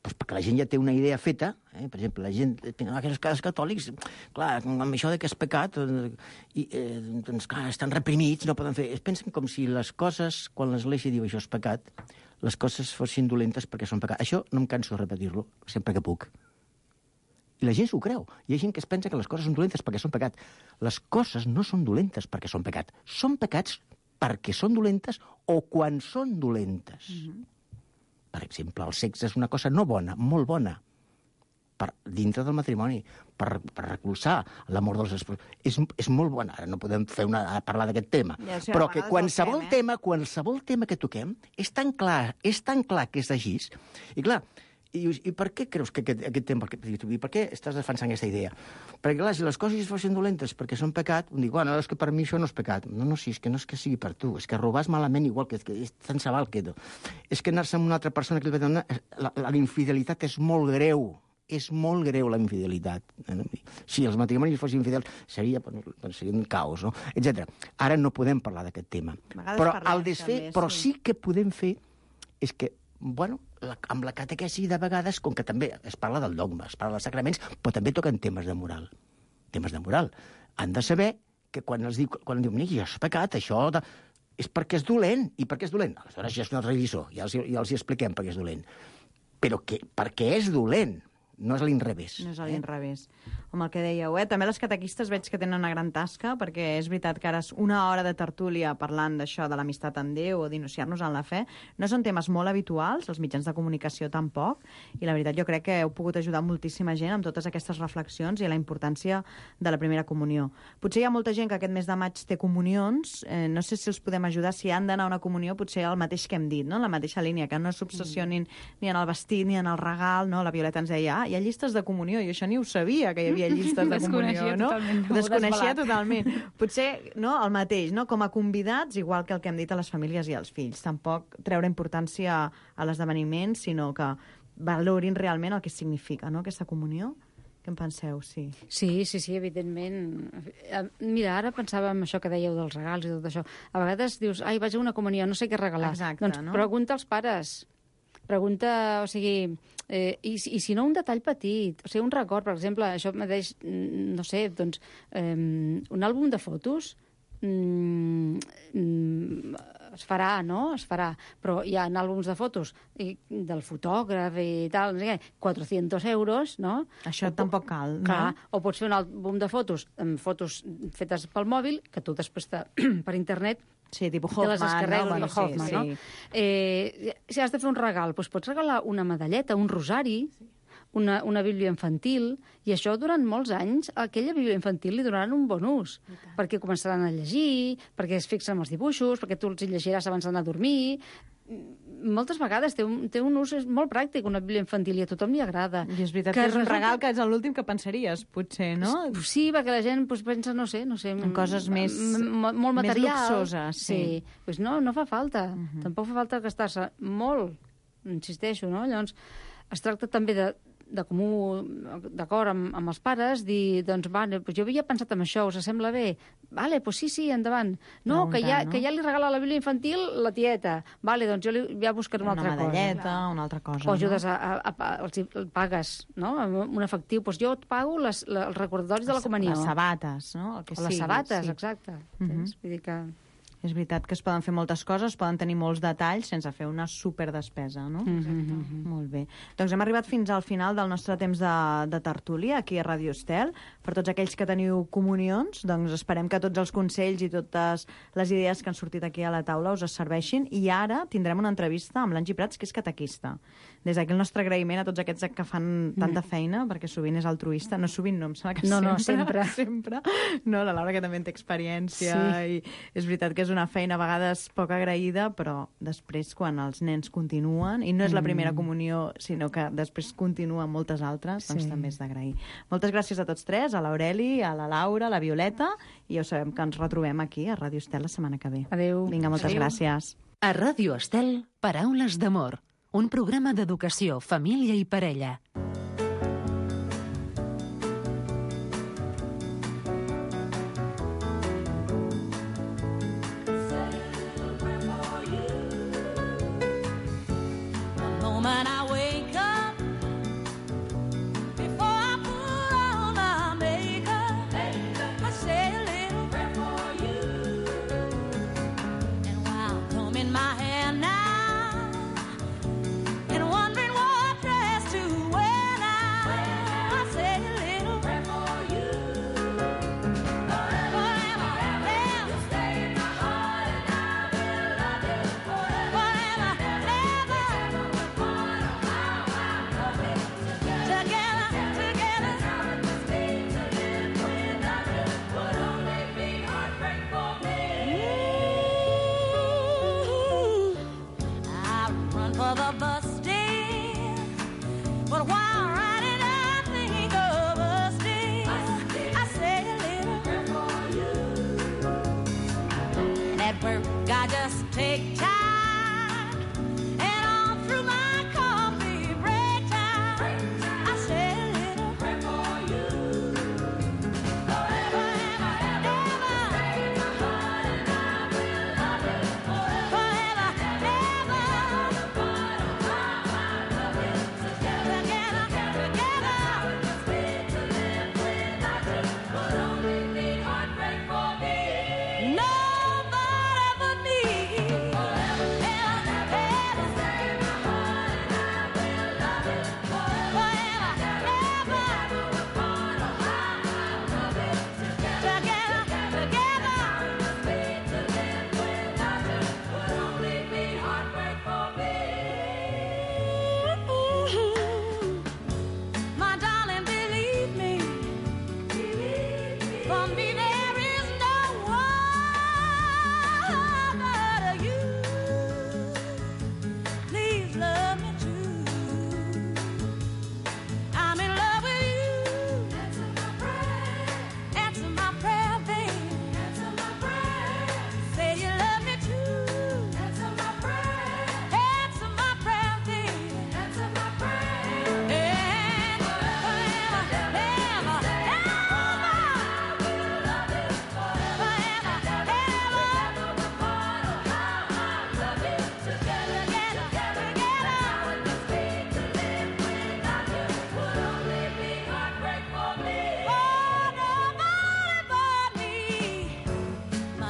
doncs perquè la gent ja té una idea feta, eh? Per exemple, la gent, aquells casos catòlics, clar, amb això de que és pecat, eh, i, eh, doncs, clar, estan reprimits, no poden fer... Es pensen com si les coses, quan l'Església diu això és pecat, les coses fossin dolentes perquè són pecat. Això no em canso de repetir-lo, sempre que puc. I la gent s'ho creu. Hi ha gent que es pensa que les coses són dolentes perquè són pecat. Les coses no són dolentes perquè són pecat. Són pecats perquè són dolentes o quan són dolentes. Mm-hmm. Per exemple, el sexe és una cosa no bona, molt bona, per, dintre del matrimoni, per, per recolzar l'amor dels esposos. És, és molt bona. Ara no podem fer una, parlar d'aquest tema. Ja sé, a Però que vegades qualsevol el fem, eh? tema, qualsevol tema que toquem és tan clar, és tan clar que és així. I clar, I dius, i per què creus que aquest, aquest tema... I per què estàs defensant aquesta idea? Perquè, clar, si les coses fossin dolentes perquè són pecat, em dic, bueno, és que per mi això no és pecat. No, no, sí, és que no és que sigui per tu, és que robar és malament igual, que, que és tan sabal que... És que anar-se amb una altra persona que li va donar... La, la, la infidelitat és molt greu. És molt greu, la infidelitat. Si els matrimonis fossin infidels, seria, doncs, seria un caos, no? Etcètera. Ara no podem parlar d'aquest tema. Però el desfer, també, però sí que podem fer és que, bueno, la, amb la catequesi de vegades, com que també es parla del dogma, es parla dels sacraments, però també toquen temes de moral. Temes de moral. Han de saber que quan els diu, quan diu, mira, això és pecat, això... De... és perquè és dolent. I per què és dolent? Aleshores ja és una religió, ja els, ja els hi expliquem per què és dolent. Però que, perquè és dolent. No és a l'inrevés. No és a l'inrevés. Eh? Com el que dèieu, eh? També les catequistes veig que tenen una gran tasca, perquè és veritat que ara és una hora de tertúlia parlant d'això, de l'amistat amb Déu o d'iniciar-nos en la fe. No són temes molt habituals, els mitjans de comunicació tampoc, i la veritat jo crec que heu pogut ajudar moltíssima gent amb totes aquestes reflexions i la importància de la primera comunió. Potser hi ha molta gent que aquest mes de maig té comunions, eh, no sé si els podem ajudar, si han d'anar a una comunió, potser el mateix que hem dit, no? La mateixa línia, que no s'obsessionin mm. ni en el vestit ni en el regal, no? La Violeta ens deia, ah, hi ha llistes de comunió, i això ni ho sabia, que hi havia llistes de comunió, no? Totalment, no? Desconeixia totalment. Potser, no?, el mateix, no? Com a convidats, igual que el que hem dit a les famílies i als fills. Tampoc treure importància a l'esdeveniment, sinó que valorin realment el que significa, no?, aquesta comunió. Què en penseu? Sí. Sí, sí, sí, evidentment. Mira, ara pensava en això que dèieu dels regals i tot això. A vegades dius, ai, vaig a una comunió, no sé què regalar. Exacte, doncs no? Pregunta als pares. Pregunta, o sigui, eh, i, i si no un detall petit, o sigui, un record, per exemple, això mateix, no sé, doncs, eh, un àlbum de fotos mm, mm, es farà, no? Es farà, però hi ha àlbums de fotos i, del fotògraf i tal, no sé què, quatre-cents euros, no? Això o, tampoc cal, no? Clar, o pots fer un àlbum de fotos, amb fotos fetes pel mòbil, que tu després te, per internet sí, tipus Hoffman, te les descarregues, no? Bueno, Hoffman, sí, no? sí. Eh, si has de fer un regal, doncs pots regalar una medalleta, un rosari, sí. una, una bíblia infantil, i això durant molts anys, a aquella bíblia infantil li donaran un bon ús, perquè començaran a llegir, perquè es fixen en els dibuixos, perquè tu els hi llegiràs abans d'anar a dormir. Moltes vegades té un, té un ús molt pràctic, una bíblia infantil, i a tothom li agrada. I és veritat que, que és un resulta... regal que és l'últim que pensaries, potser, no? Sí, perquè la gent pues, pensa, no sé, no sé... En coses més... Molt materials. Més luxoses, sí. sí. Pues no, no fa falta. Uh -huh. Tampoc fa falta gastar-se molt, insisteixo, no? Llavors, es tracta també de de comú, d'acord amb, amb els pares, dir, doncs, vale, pues jo havia pensat en això, us sembla bé? Vale, doncs sí, sí, endavant. No, no que, ja, no? que ja li regala la bíblia infantil la tieta. Vale, doncs jo li, ja buscaré una, una altra cosa. Una medalleta, una altra cosa. O ajudes no? a, a, a, els pagues, no? Un efectiu. Doncs jo et pago les, les, els recordaris de la comunió. Les sabates, no? El que o les sigui, sabates, sí. exacte. Uh -huh. Vull dir que... És veritat que es poden fer moltes coses, poden tenir molts detalls sense fer una superdespesa, no? Mm -hmm. Molt bé. Doncs hem arribat fins al final del nostre temps de, de tertúlia aquí a Ràdio Estel. Per tots aquells que teniu comunions, doncs esperem que tots els consells i totes les idees que han sortit aquí a la taula us serveixin. I ara tindrem una entrevista amb l'Angie Prats, que és catequista. Des d'aquí el nostre agraïment a tots aquests que fan tanta feina, perquè sovint és altruista. No sovint, no, em sembla que no, sempre. No, sempre. sempre. No, la Laura, que també en té experiència, sí. i és veritat que és una feina a vegades poc agraïda, però després quan els nens continuen, i no és la primera comunió, sinó que després continuen moltes altres, doncs sí. també és d'agrair. Moltes gràcies a tots tres, a l'Aureli, a la Laura, a la Violeta, i ja ho sabem que ens retrobem aquí a Ràdio Estel la setmana que ve. Adéu. Vinga, moltes Adéu. gràcies. A Ràdio Estel, Paraules d'amor, un programa d'educació, família i parella.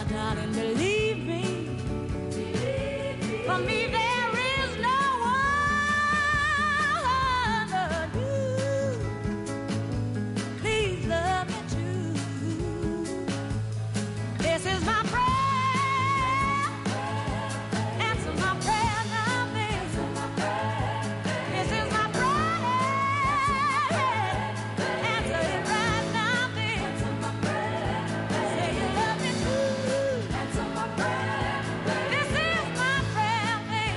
darling, believe me. For me, there is no one but you. Please love me true. This is my prayer. Answer my prayer now, baby. This is my prayer. Answer it right now, baby. Say you love me true. Answer my prayer. This is my prayer, baby.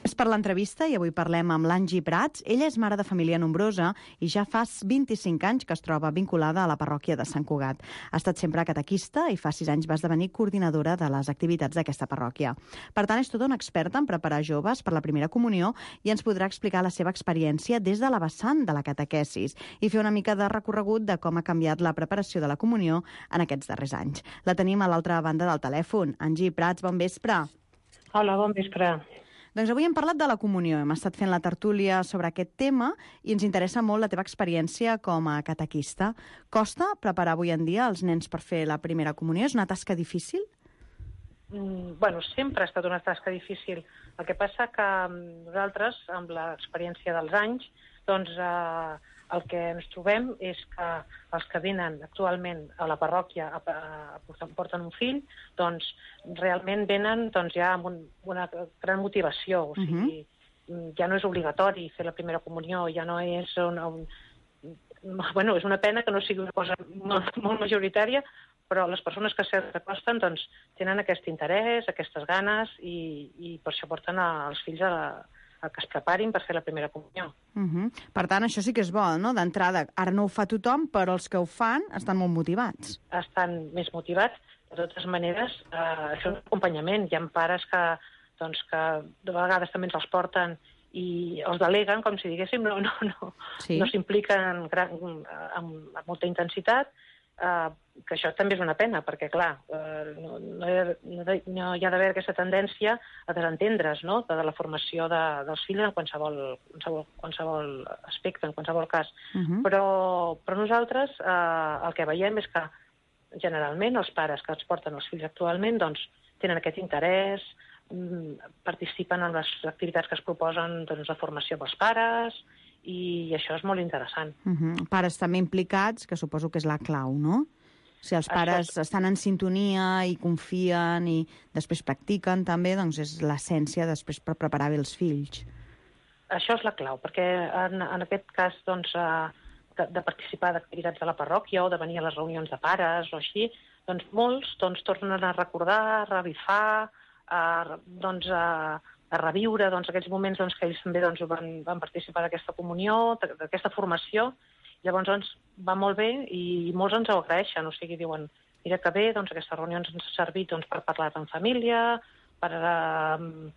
És per l'entrevista i avui parlem amb l'Angie Prats. Ella és mare de família nombrosa i ja fa vint-i-cinc anys que es troba vinculada a la parròquia de Sant Cugat. Ha estat sempre catequista i fa sis anys va esdevenir coordinadora de les activitats d'aquesta parròquia. Per tant, és tota una experta en preparar joves per la primera comunió i ens podrà explicar la seva experiència des de la vessant de la catequesis i fer una mica de recorregut de com ha canviat la preparació de la comunió en aquests darrers anys. La tenim a l'altra banda del telèfon. Angie Prats, bon vespre. Hola, bon vespre. Doncs avui hem parlat de la comunió, hem estat fent la tertúlia sobre aquest tema i ens interessa molt la teva experiència com a catequista. Costa preparar avui en dia els nens per fer la primera comunió? És una tasca difícil? Mm, bueno, sempre ha estat una tasca difícil. El que passa que mm, nosaltres, amb l'experiència dels anys, doncs eh, el que ens trobem és que els que venen actualment a la parròquia a, a, a porten, porten un fill, doncs realment venen doncs, ja amb un, una gran motivació. O sigui, uh-huh. ja no és obligatori fer la primera comunió, ja no és una... Un, bueno, és una pena que no sigui una cosa molt, molt majoritària, però les persones que s'acosten doncs, tenen aquest interès, aquestes ganes, i, i per això porten els fills a, la, a que es preparin per fer la primera comunió. Uh-huh. Per tant, això sí que és bo, no? D'entrada, ara no ho fa tothom, però els que ho fan estan molt motivats. Estan més motivats. De totes maneres, eh, això és un acompanyament. Hi ha pares que, doncs, que de vegades també ens els porten i els deleguen, com si diguéssim, no, no, no, sí. no s'impliquen gran, amb, amb molta intensitat, eh, que això també és una pena, perquè, clar, eh, no, no, hi ha, no hi ha d'haver aquesta tendència a desentendre's, no?, de, de la formació de, dels fills en qualsevol, qualsevol, qualsevol aspecte, en qualsevol cas. Uh-huh. Però, però nosaltres eh, el que veiem és que, generalment, els pares que ens porten els fills actualment, doncs, tenen aquest interès, participen en les activitats que es proposen, doncs, de formació pels pares, i això és molt interessant. Uh-huh. Pares també implicats, que suposo que és la clau, no? Si els pares això... estan en sintonia i confien i després practiquen també, doncs és l'essència després per preparar bé els fills. Això és la clau, perquè en, en aquest cas, doncs, de, de participar d'activitats de la parròquia o de venir a les reunions de pares o així, doncs molts doncs, tornen a recordar, a revifar, a, doncs, a, a reviure doncs, aquells moments doncs, que ells també doncs, van, van participar d'aquesta comunió, d'aquesta formació. Llavors doncs, va molt bé i molts ens ho agraeixen, o sigui, diuen, mira que bé, doncs, aquestes reunions ens han servit doncs, per parlar en família, per... Uh,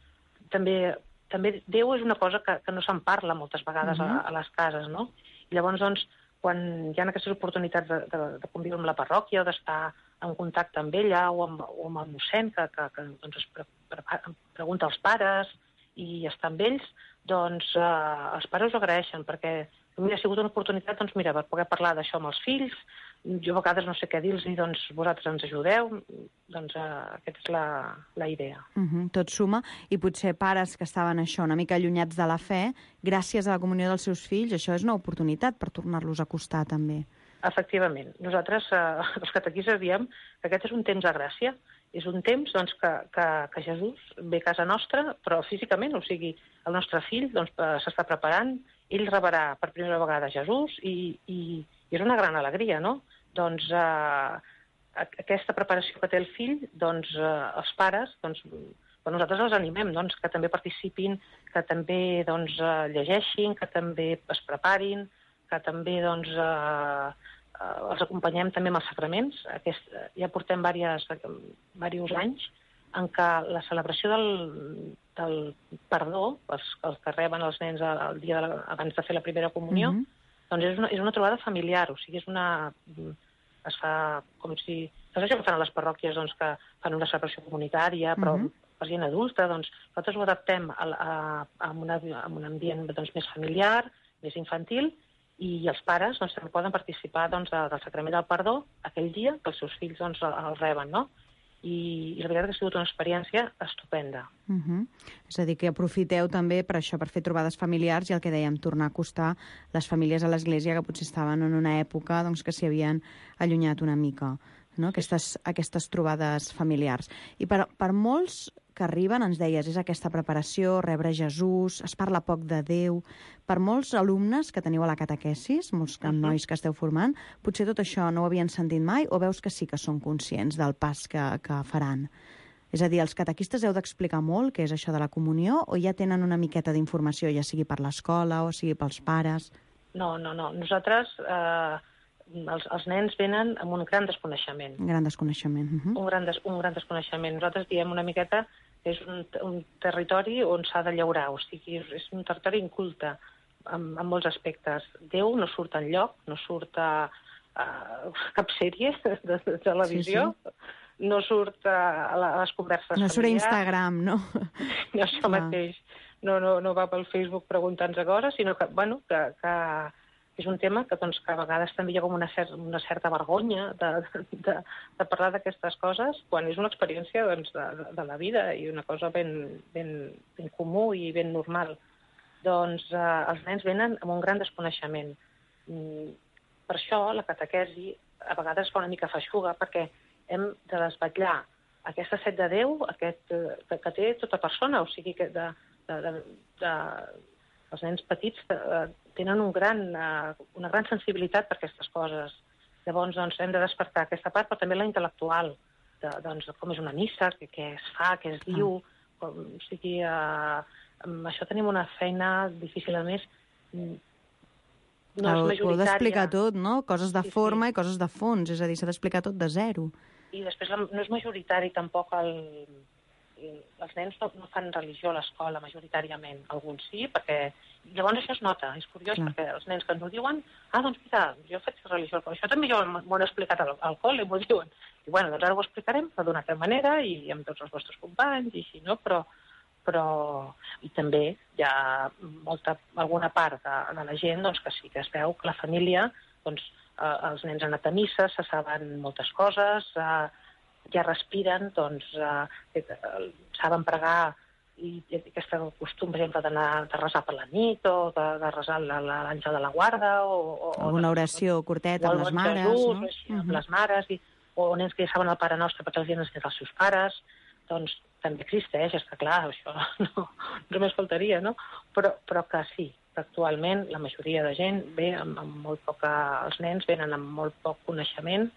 també, també Déu és una cosa que, que no se'n parla moltes vegades uh-huh. a, a les cases, no? I llavors, doncs, quan hi ha aquestes oportunitats de, de, de conviure amb la parròquia o d'estar en contacte amb ella o amb, o amb el mossèn que, que, que doncs, es pre, pre, pregunta als pares i està amb ells, doncs eh, els pares ho agraeixen perquè mira, ha sigut una oportunitat doncs, mira, per poder parlar d'això amb els fills. Jo a vegades no sé què dir-los i doncs vosaltres ens ajudeu. Doncs eh, aquesta és la, la idea. Uh-huh, tot suma. I potser pares que estaven això una mica allunyats de la fe, gràcies a la comunió dels seus fills, això és una oportunitat per tornar-los a acostar també. Efectivament. Nosaltres, eh, els catequistes, diem que aquest és un temps de gràcia. És un temps doncs, que, que, que Jesús ve a casa nostra, però físicament, o sigui, el nostre fill doncs, s'està preparant, ell rebrà per primera vegada Jesús i, i, i és una gran alegria, no? Doncs eh, aquesta preparació que té el fill, doncs eh, els pares, doncs, però nosaltres els animem doncs, que també participin, que també doncs, eh, llegeixin, que també es preparin, que també doncs, eh, eh, els acompanyem també amb els sacraments. Aquest, ja portem diversos, diversos anys en què la celebració del, del perdó, els, els que reben els nens el dia de la, abans de fer la primera comunió, mm-hmm. doncs és una, és una trobada familiar, o sigui, és una... es fa com si... No sé això que fan a les parròquies, doncs, que fan una celebració comunitària, però mm-hmm. per gent adulta, doncs, nosaltres ho adaptem a, a, a, una, a un ambient doncs, més familiar, més infantil, i els pares doncs, també poden participar doncs, de, del sacrament del perdó aquell dia que els seus fills doncs, el, el reben, no? I, i la veritat que ha sigut una experiència estupenda. Uh -huh. És a dir, que aprofiteu també per això, per fer trobades familiars i el que dèiem, tornar a acostar les famílies a l'Església que potser estaven en una època doncs, que s'hi havien allunyat una mica, no? Aquestes, aquestes trobades familiars. I per, per molts que arriben, ens deies, és aquesta preparació, rebre Jesús, es parla poc de Déu. Per molts alumnes que teniu a la catequesis, molts uh -huh. nois que esteu formant, potser tot això no ho havien sentit mai o veus que sí que són conscients del pas que, que faran? És a dir, els catequistes heu d'explicar molt què és això de la comunió o ja tenen una miqueta d'informació, ja sigui per l'escola o sigui pels pares? No, no, no. Nosaltres, eh, els, els nens venen amb un gran desconeixement. Un gran desconeixement. Uh -huh. Un gran, des, un gran desconeixement. Nosaltres diem una miqueta que és un, un territori on s'ha de llaurar, o sigui, és un territori inculte en, en molts aspectes. Déu no surt enlloc, no surt a, a cap sèrie de, de televisió, sí, sí. No surt a, a les converses no familiars. surt a Instagram, no? No, això mateix. No, no, no va pel Facebook preguntant-nos a coses, sinó que, bueno, que, que és un tema que, doncs, que a vegades també hi ha com una, cer una certa vergonya de, de, de parlar d'aquestes coses, quan és una experiència doncs, de, de la vida i una cosa ben, ben, ben comú i ben normal. Doncs eh, els nens venen amb un gran desconeixement. Mm, per això la catequesi a vegades es fa una mica feixuga, perquè hem de desvetllar aquesta set de Déu aquest, eh, que, que té tota persona, o sigui que de, de, de, de, els nens petits eh, tenen un gran, eh, una gran sensibilitat per aquestes coses. Llavors doncs, hem de despertar aquesta part, però també la intel·lectual, de, doncs, com és una missa, què, què es fa, què es diu, com, o sigui, eh, amb això tenim una feina difícil, a més, no és majoritària. Ho heu d'explicar tot, no? Coses de sí, forma sí. i coses de fons, és a dir, s'ha d'explicar tot de zero. I després no és majoritari tampoc el... Els nens no, no fan religió a l'escola majoritàriament, alguns sí, perquè llavors això es nota, és curiós, clar. Perquè els nens que ens ho diuen, ah, doncs mira, jo faig religió al col·le, això també jo m'ho he explicat al, al col·le, m'ho diuen, i bueno, doncs ara ho explicarem d'una altra manera i amb tots els vostres companys i així, no? Però, però i també hi ha molta, alguna part de, de la gent doncs, que sí que es veu que la família, doncs, eh, els nens han anat a missa, se saben moltes coses, eh, ja respiren, doncs eh, saben pregar i, i aquest costum, per exemple, d'anar de resar per la nit o de, de resar l'àngel de la guarda o, o alguna oració curteta amb les mares, Jesús, no? Així, amb uh -huh. les mares, i, o nens que ja saben el Pare Nostre perquè els hi han ensenyat els seus pares, doncs també existeix, és que clar, això no, només faltaria, no? Però, però que sí, que actualment la majoria de gent ve amb, amb molt poca... Els nens venen amb molt poc coneixement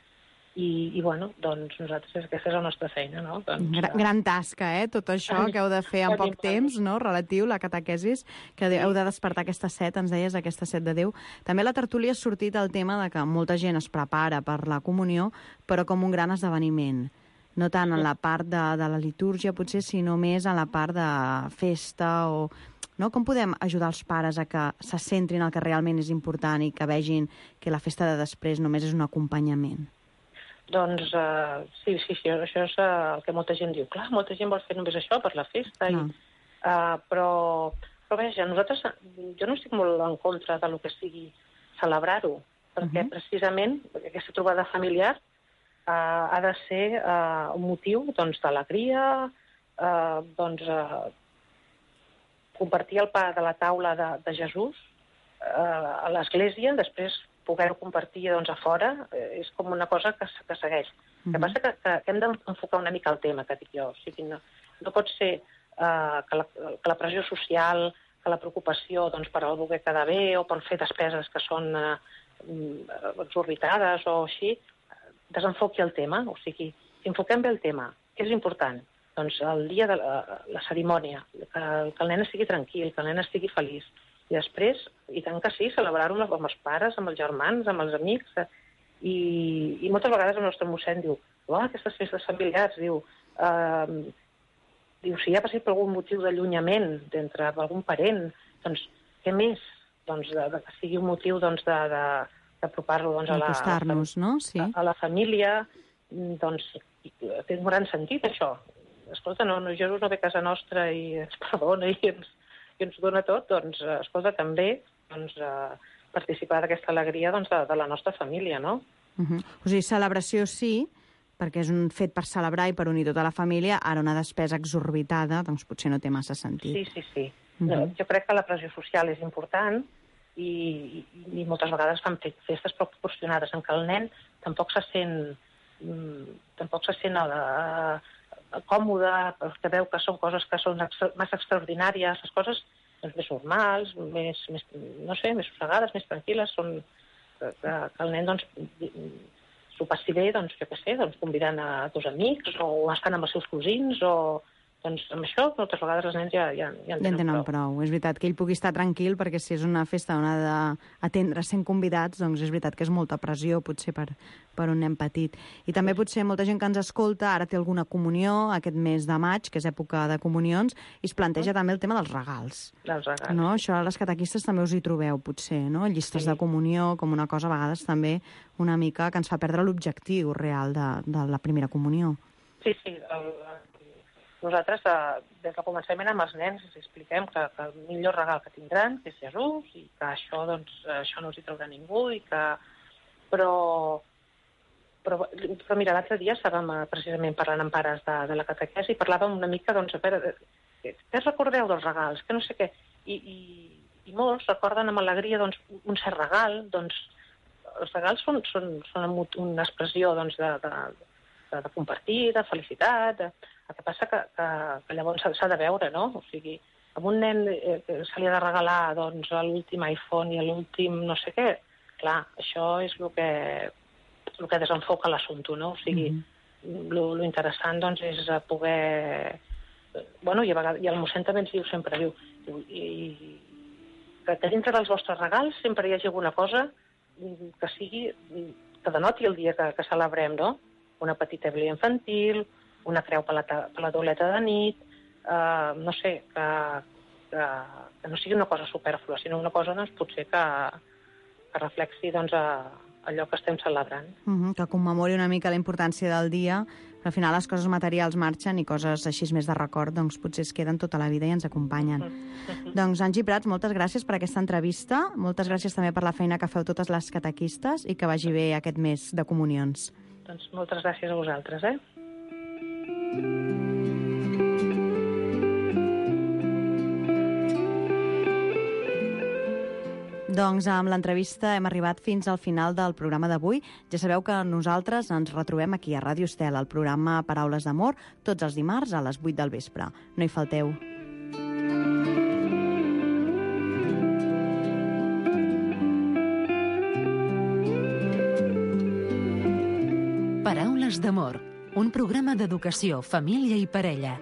i, i bueno, doncs nosaltres, aquesta és la nostra feina, no? Doncs, gran, gran tasca, eh? Tot això que heu de fer en poc temps, no? Relatiu, la catequesis, que heu de despertar aquesta set, ens deies, aquesta set de Déu. També a la tertúlia ha sortit el tema de que molta gent es prepara per la comunió, però com un gran esdeveniment. No tant en la part de, de la litúrgia, potser, sinó més en la part de festa o... No? Com podem ajudar els pares a que se centrin en el que realment és important i que vegin que la festa de després només és un acompanyament? Doncs uh, sí, sí, sí, això és uh, el que molta gent diu. Clar, molta gent vol fer només això per la festa, i, uh, però, però veja, nosaltres, jo no estic molt en contra de lo que sigui celebrar-ho, perquè uh -huh. precisament aquesta trobada familiar uh, ha de ser uh, un motiu doncs, d'alegria, uh, doncs, uh, compartir el pa de la taula de, de Jesús uh, a l'església, després poder-ho compartir doncs, a fora, eh, és com una cosa que, que segueix. Uh -huh. El que passa que, que, que hem d'enfocar una mica el tema, que dic jo. O sigui, no, no pot ser eh, que, la, que la pressió social, que la preocupació doncs, per algú que queda bé o per fer despeses que són eh, exorbitades o així, desenfoqui el tema. O sigui, si enfoquem bé el tema, què és important? Doncs el dia de la, la cerimònia, que, que el nen estigui tranquil, que el nen estigui feliç. I després, i tant que sí, celebrar-ho amb els pares, amb els germans, amb els amics. I, i moltes vegades el nostre mossèn diu, oh, aquestes festes familiars, diu, eh, diu, si hi ha passat per algun motiu d'allunyament d'entre algun parent, doncs què més? Doncs de, de que sigui un motiu doncs, d'apropar-lo doncs, a, la, a, la, no? Sí. a, a la família, doncs té un gran sentit, això. Escolta, no, no, Jesús no ve a casa nostra i ens perdona i ens i ens dona tot, doncs, escolta, també doncs, eh, participar d'aquesta alegria doncs, de, de la nostra família, no? Uh -huh. O sigui, celebració sí, perquè és un fet per celebrar i per unir tota la família, ara una despesa exorbitada, doncs potser no té massa sentit. Sí, sí, sí. Uh -huh. Jo crec que la pressió social és important i, i, i moltes vegades fan festes proporcionades en què el nen tampoc se sent, mm, tampoc se sent uh, còmode, perquè veu que són coses que són extra, massa extraordinàries, les coses doncs, més normals, més, més, no sé, més sossegades, més tranquil·les, són que, que el nen doncs, s'ho passi bé, doncs, jo què sé, doncs, convidant a dos amics o estan amb els seus cosins o... Doncs amb això, moltes vegades els nens ja, ja, ja en Ja en tenen prou. prou. És veritat que ell pugui estar tranquil, perquè si és una festa on ha d'atendre cent convidats, doncs és veritat que és molta pressió, potser, per, per un nen petit. I també potser molta gent que ens escolta ara té alguna comunió aquest mes de maig, que és època de comunions, i es planteja mm. també el tema dels regals. Dels regals. No? Això a les catequistes també us hi trobeu, potser, no? Llistes sí. de comunió, com una cosa a vegades també una mica que ens fa perdre l'objectiu real de, de la primera comunió. Sí, sí. El, nosaltres, eh, des del començament amb els nens, els expliquem que, que el millor regal que tindran que és Jesús i que això, doncs, això no els hi traurà ningú i que... Però, però, però mira, l'altre dia estàvem precisament parlant amb pares de, de la catequesi i parlàvem una mica, doncs, a veure, què recordeu dels regals? Que no sé què. I, i, i molts recorden amb alegria, doncs, un cert regal, doncs, els regals són, són, són una expressió, doncs, de, de, de compartir, de felicitat, de... El que passa que, que, que llavors s'ha de veure, no? O sigui, a un nen eh, se li ha de regalar doncs, l'últim iPhone i l'últim no sé què. Clar, això és el que, el que desenfoca l'assumpte, no? O sigui, mm-hmm. lo, lo interessant doncs, és poder... Bueno, i, a vegades, i el mossèn també ens diu sempre, diu, i, que, que dintre dels vostres regals sempre hi hagi alguna cosa que sigui, que denoti el dia que, que celebrem, no? Una petita bíblia infantil, una creu per la, per la tauleta de nit, eh, no sé, que, que, que no sigui una cosa supèrflua, sinó una cosa, doncs, potser que, que reflexi, doncs, a, allò que estem celebrant. Uh-huh, que commemori una mica la importància del dia, però al final les coses materials marxen i coses així més de record, doncs, potser es queden tota la vida i ens acompanyen. Uh-huh. Doncs, Angie Prats, moltes gràcies per aquesta entrevista, moltes gràcies també per la feina que feu totes les catequistes i que vagi bé aquest mes de comunions. Doncs moltes gràcies a vosaltres, eh? Doncs amb l'entrevista hem arribat fins al final del programa d'avui. Ja sabeu que nosaltres ens retrobem aquí a Ràdio Estel, al programa Paraules d'Amor, tots els dimarts a les vuit del vespre. No hi falteu. Paraules d'Amor, un programa d'educació, família i parella.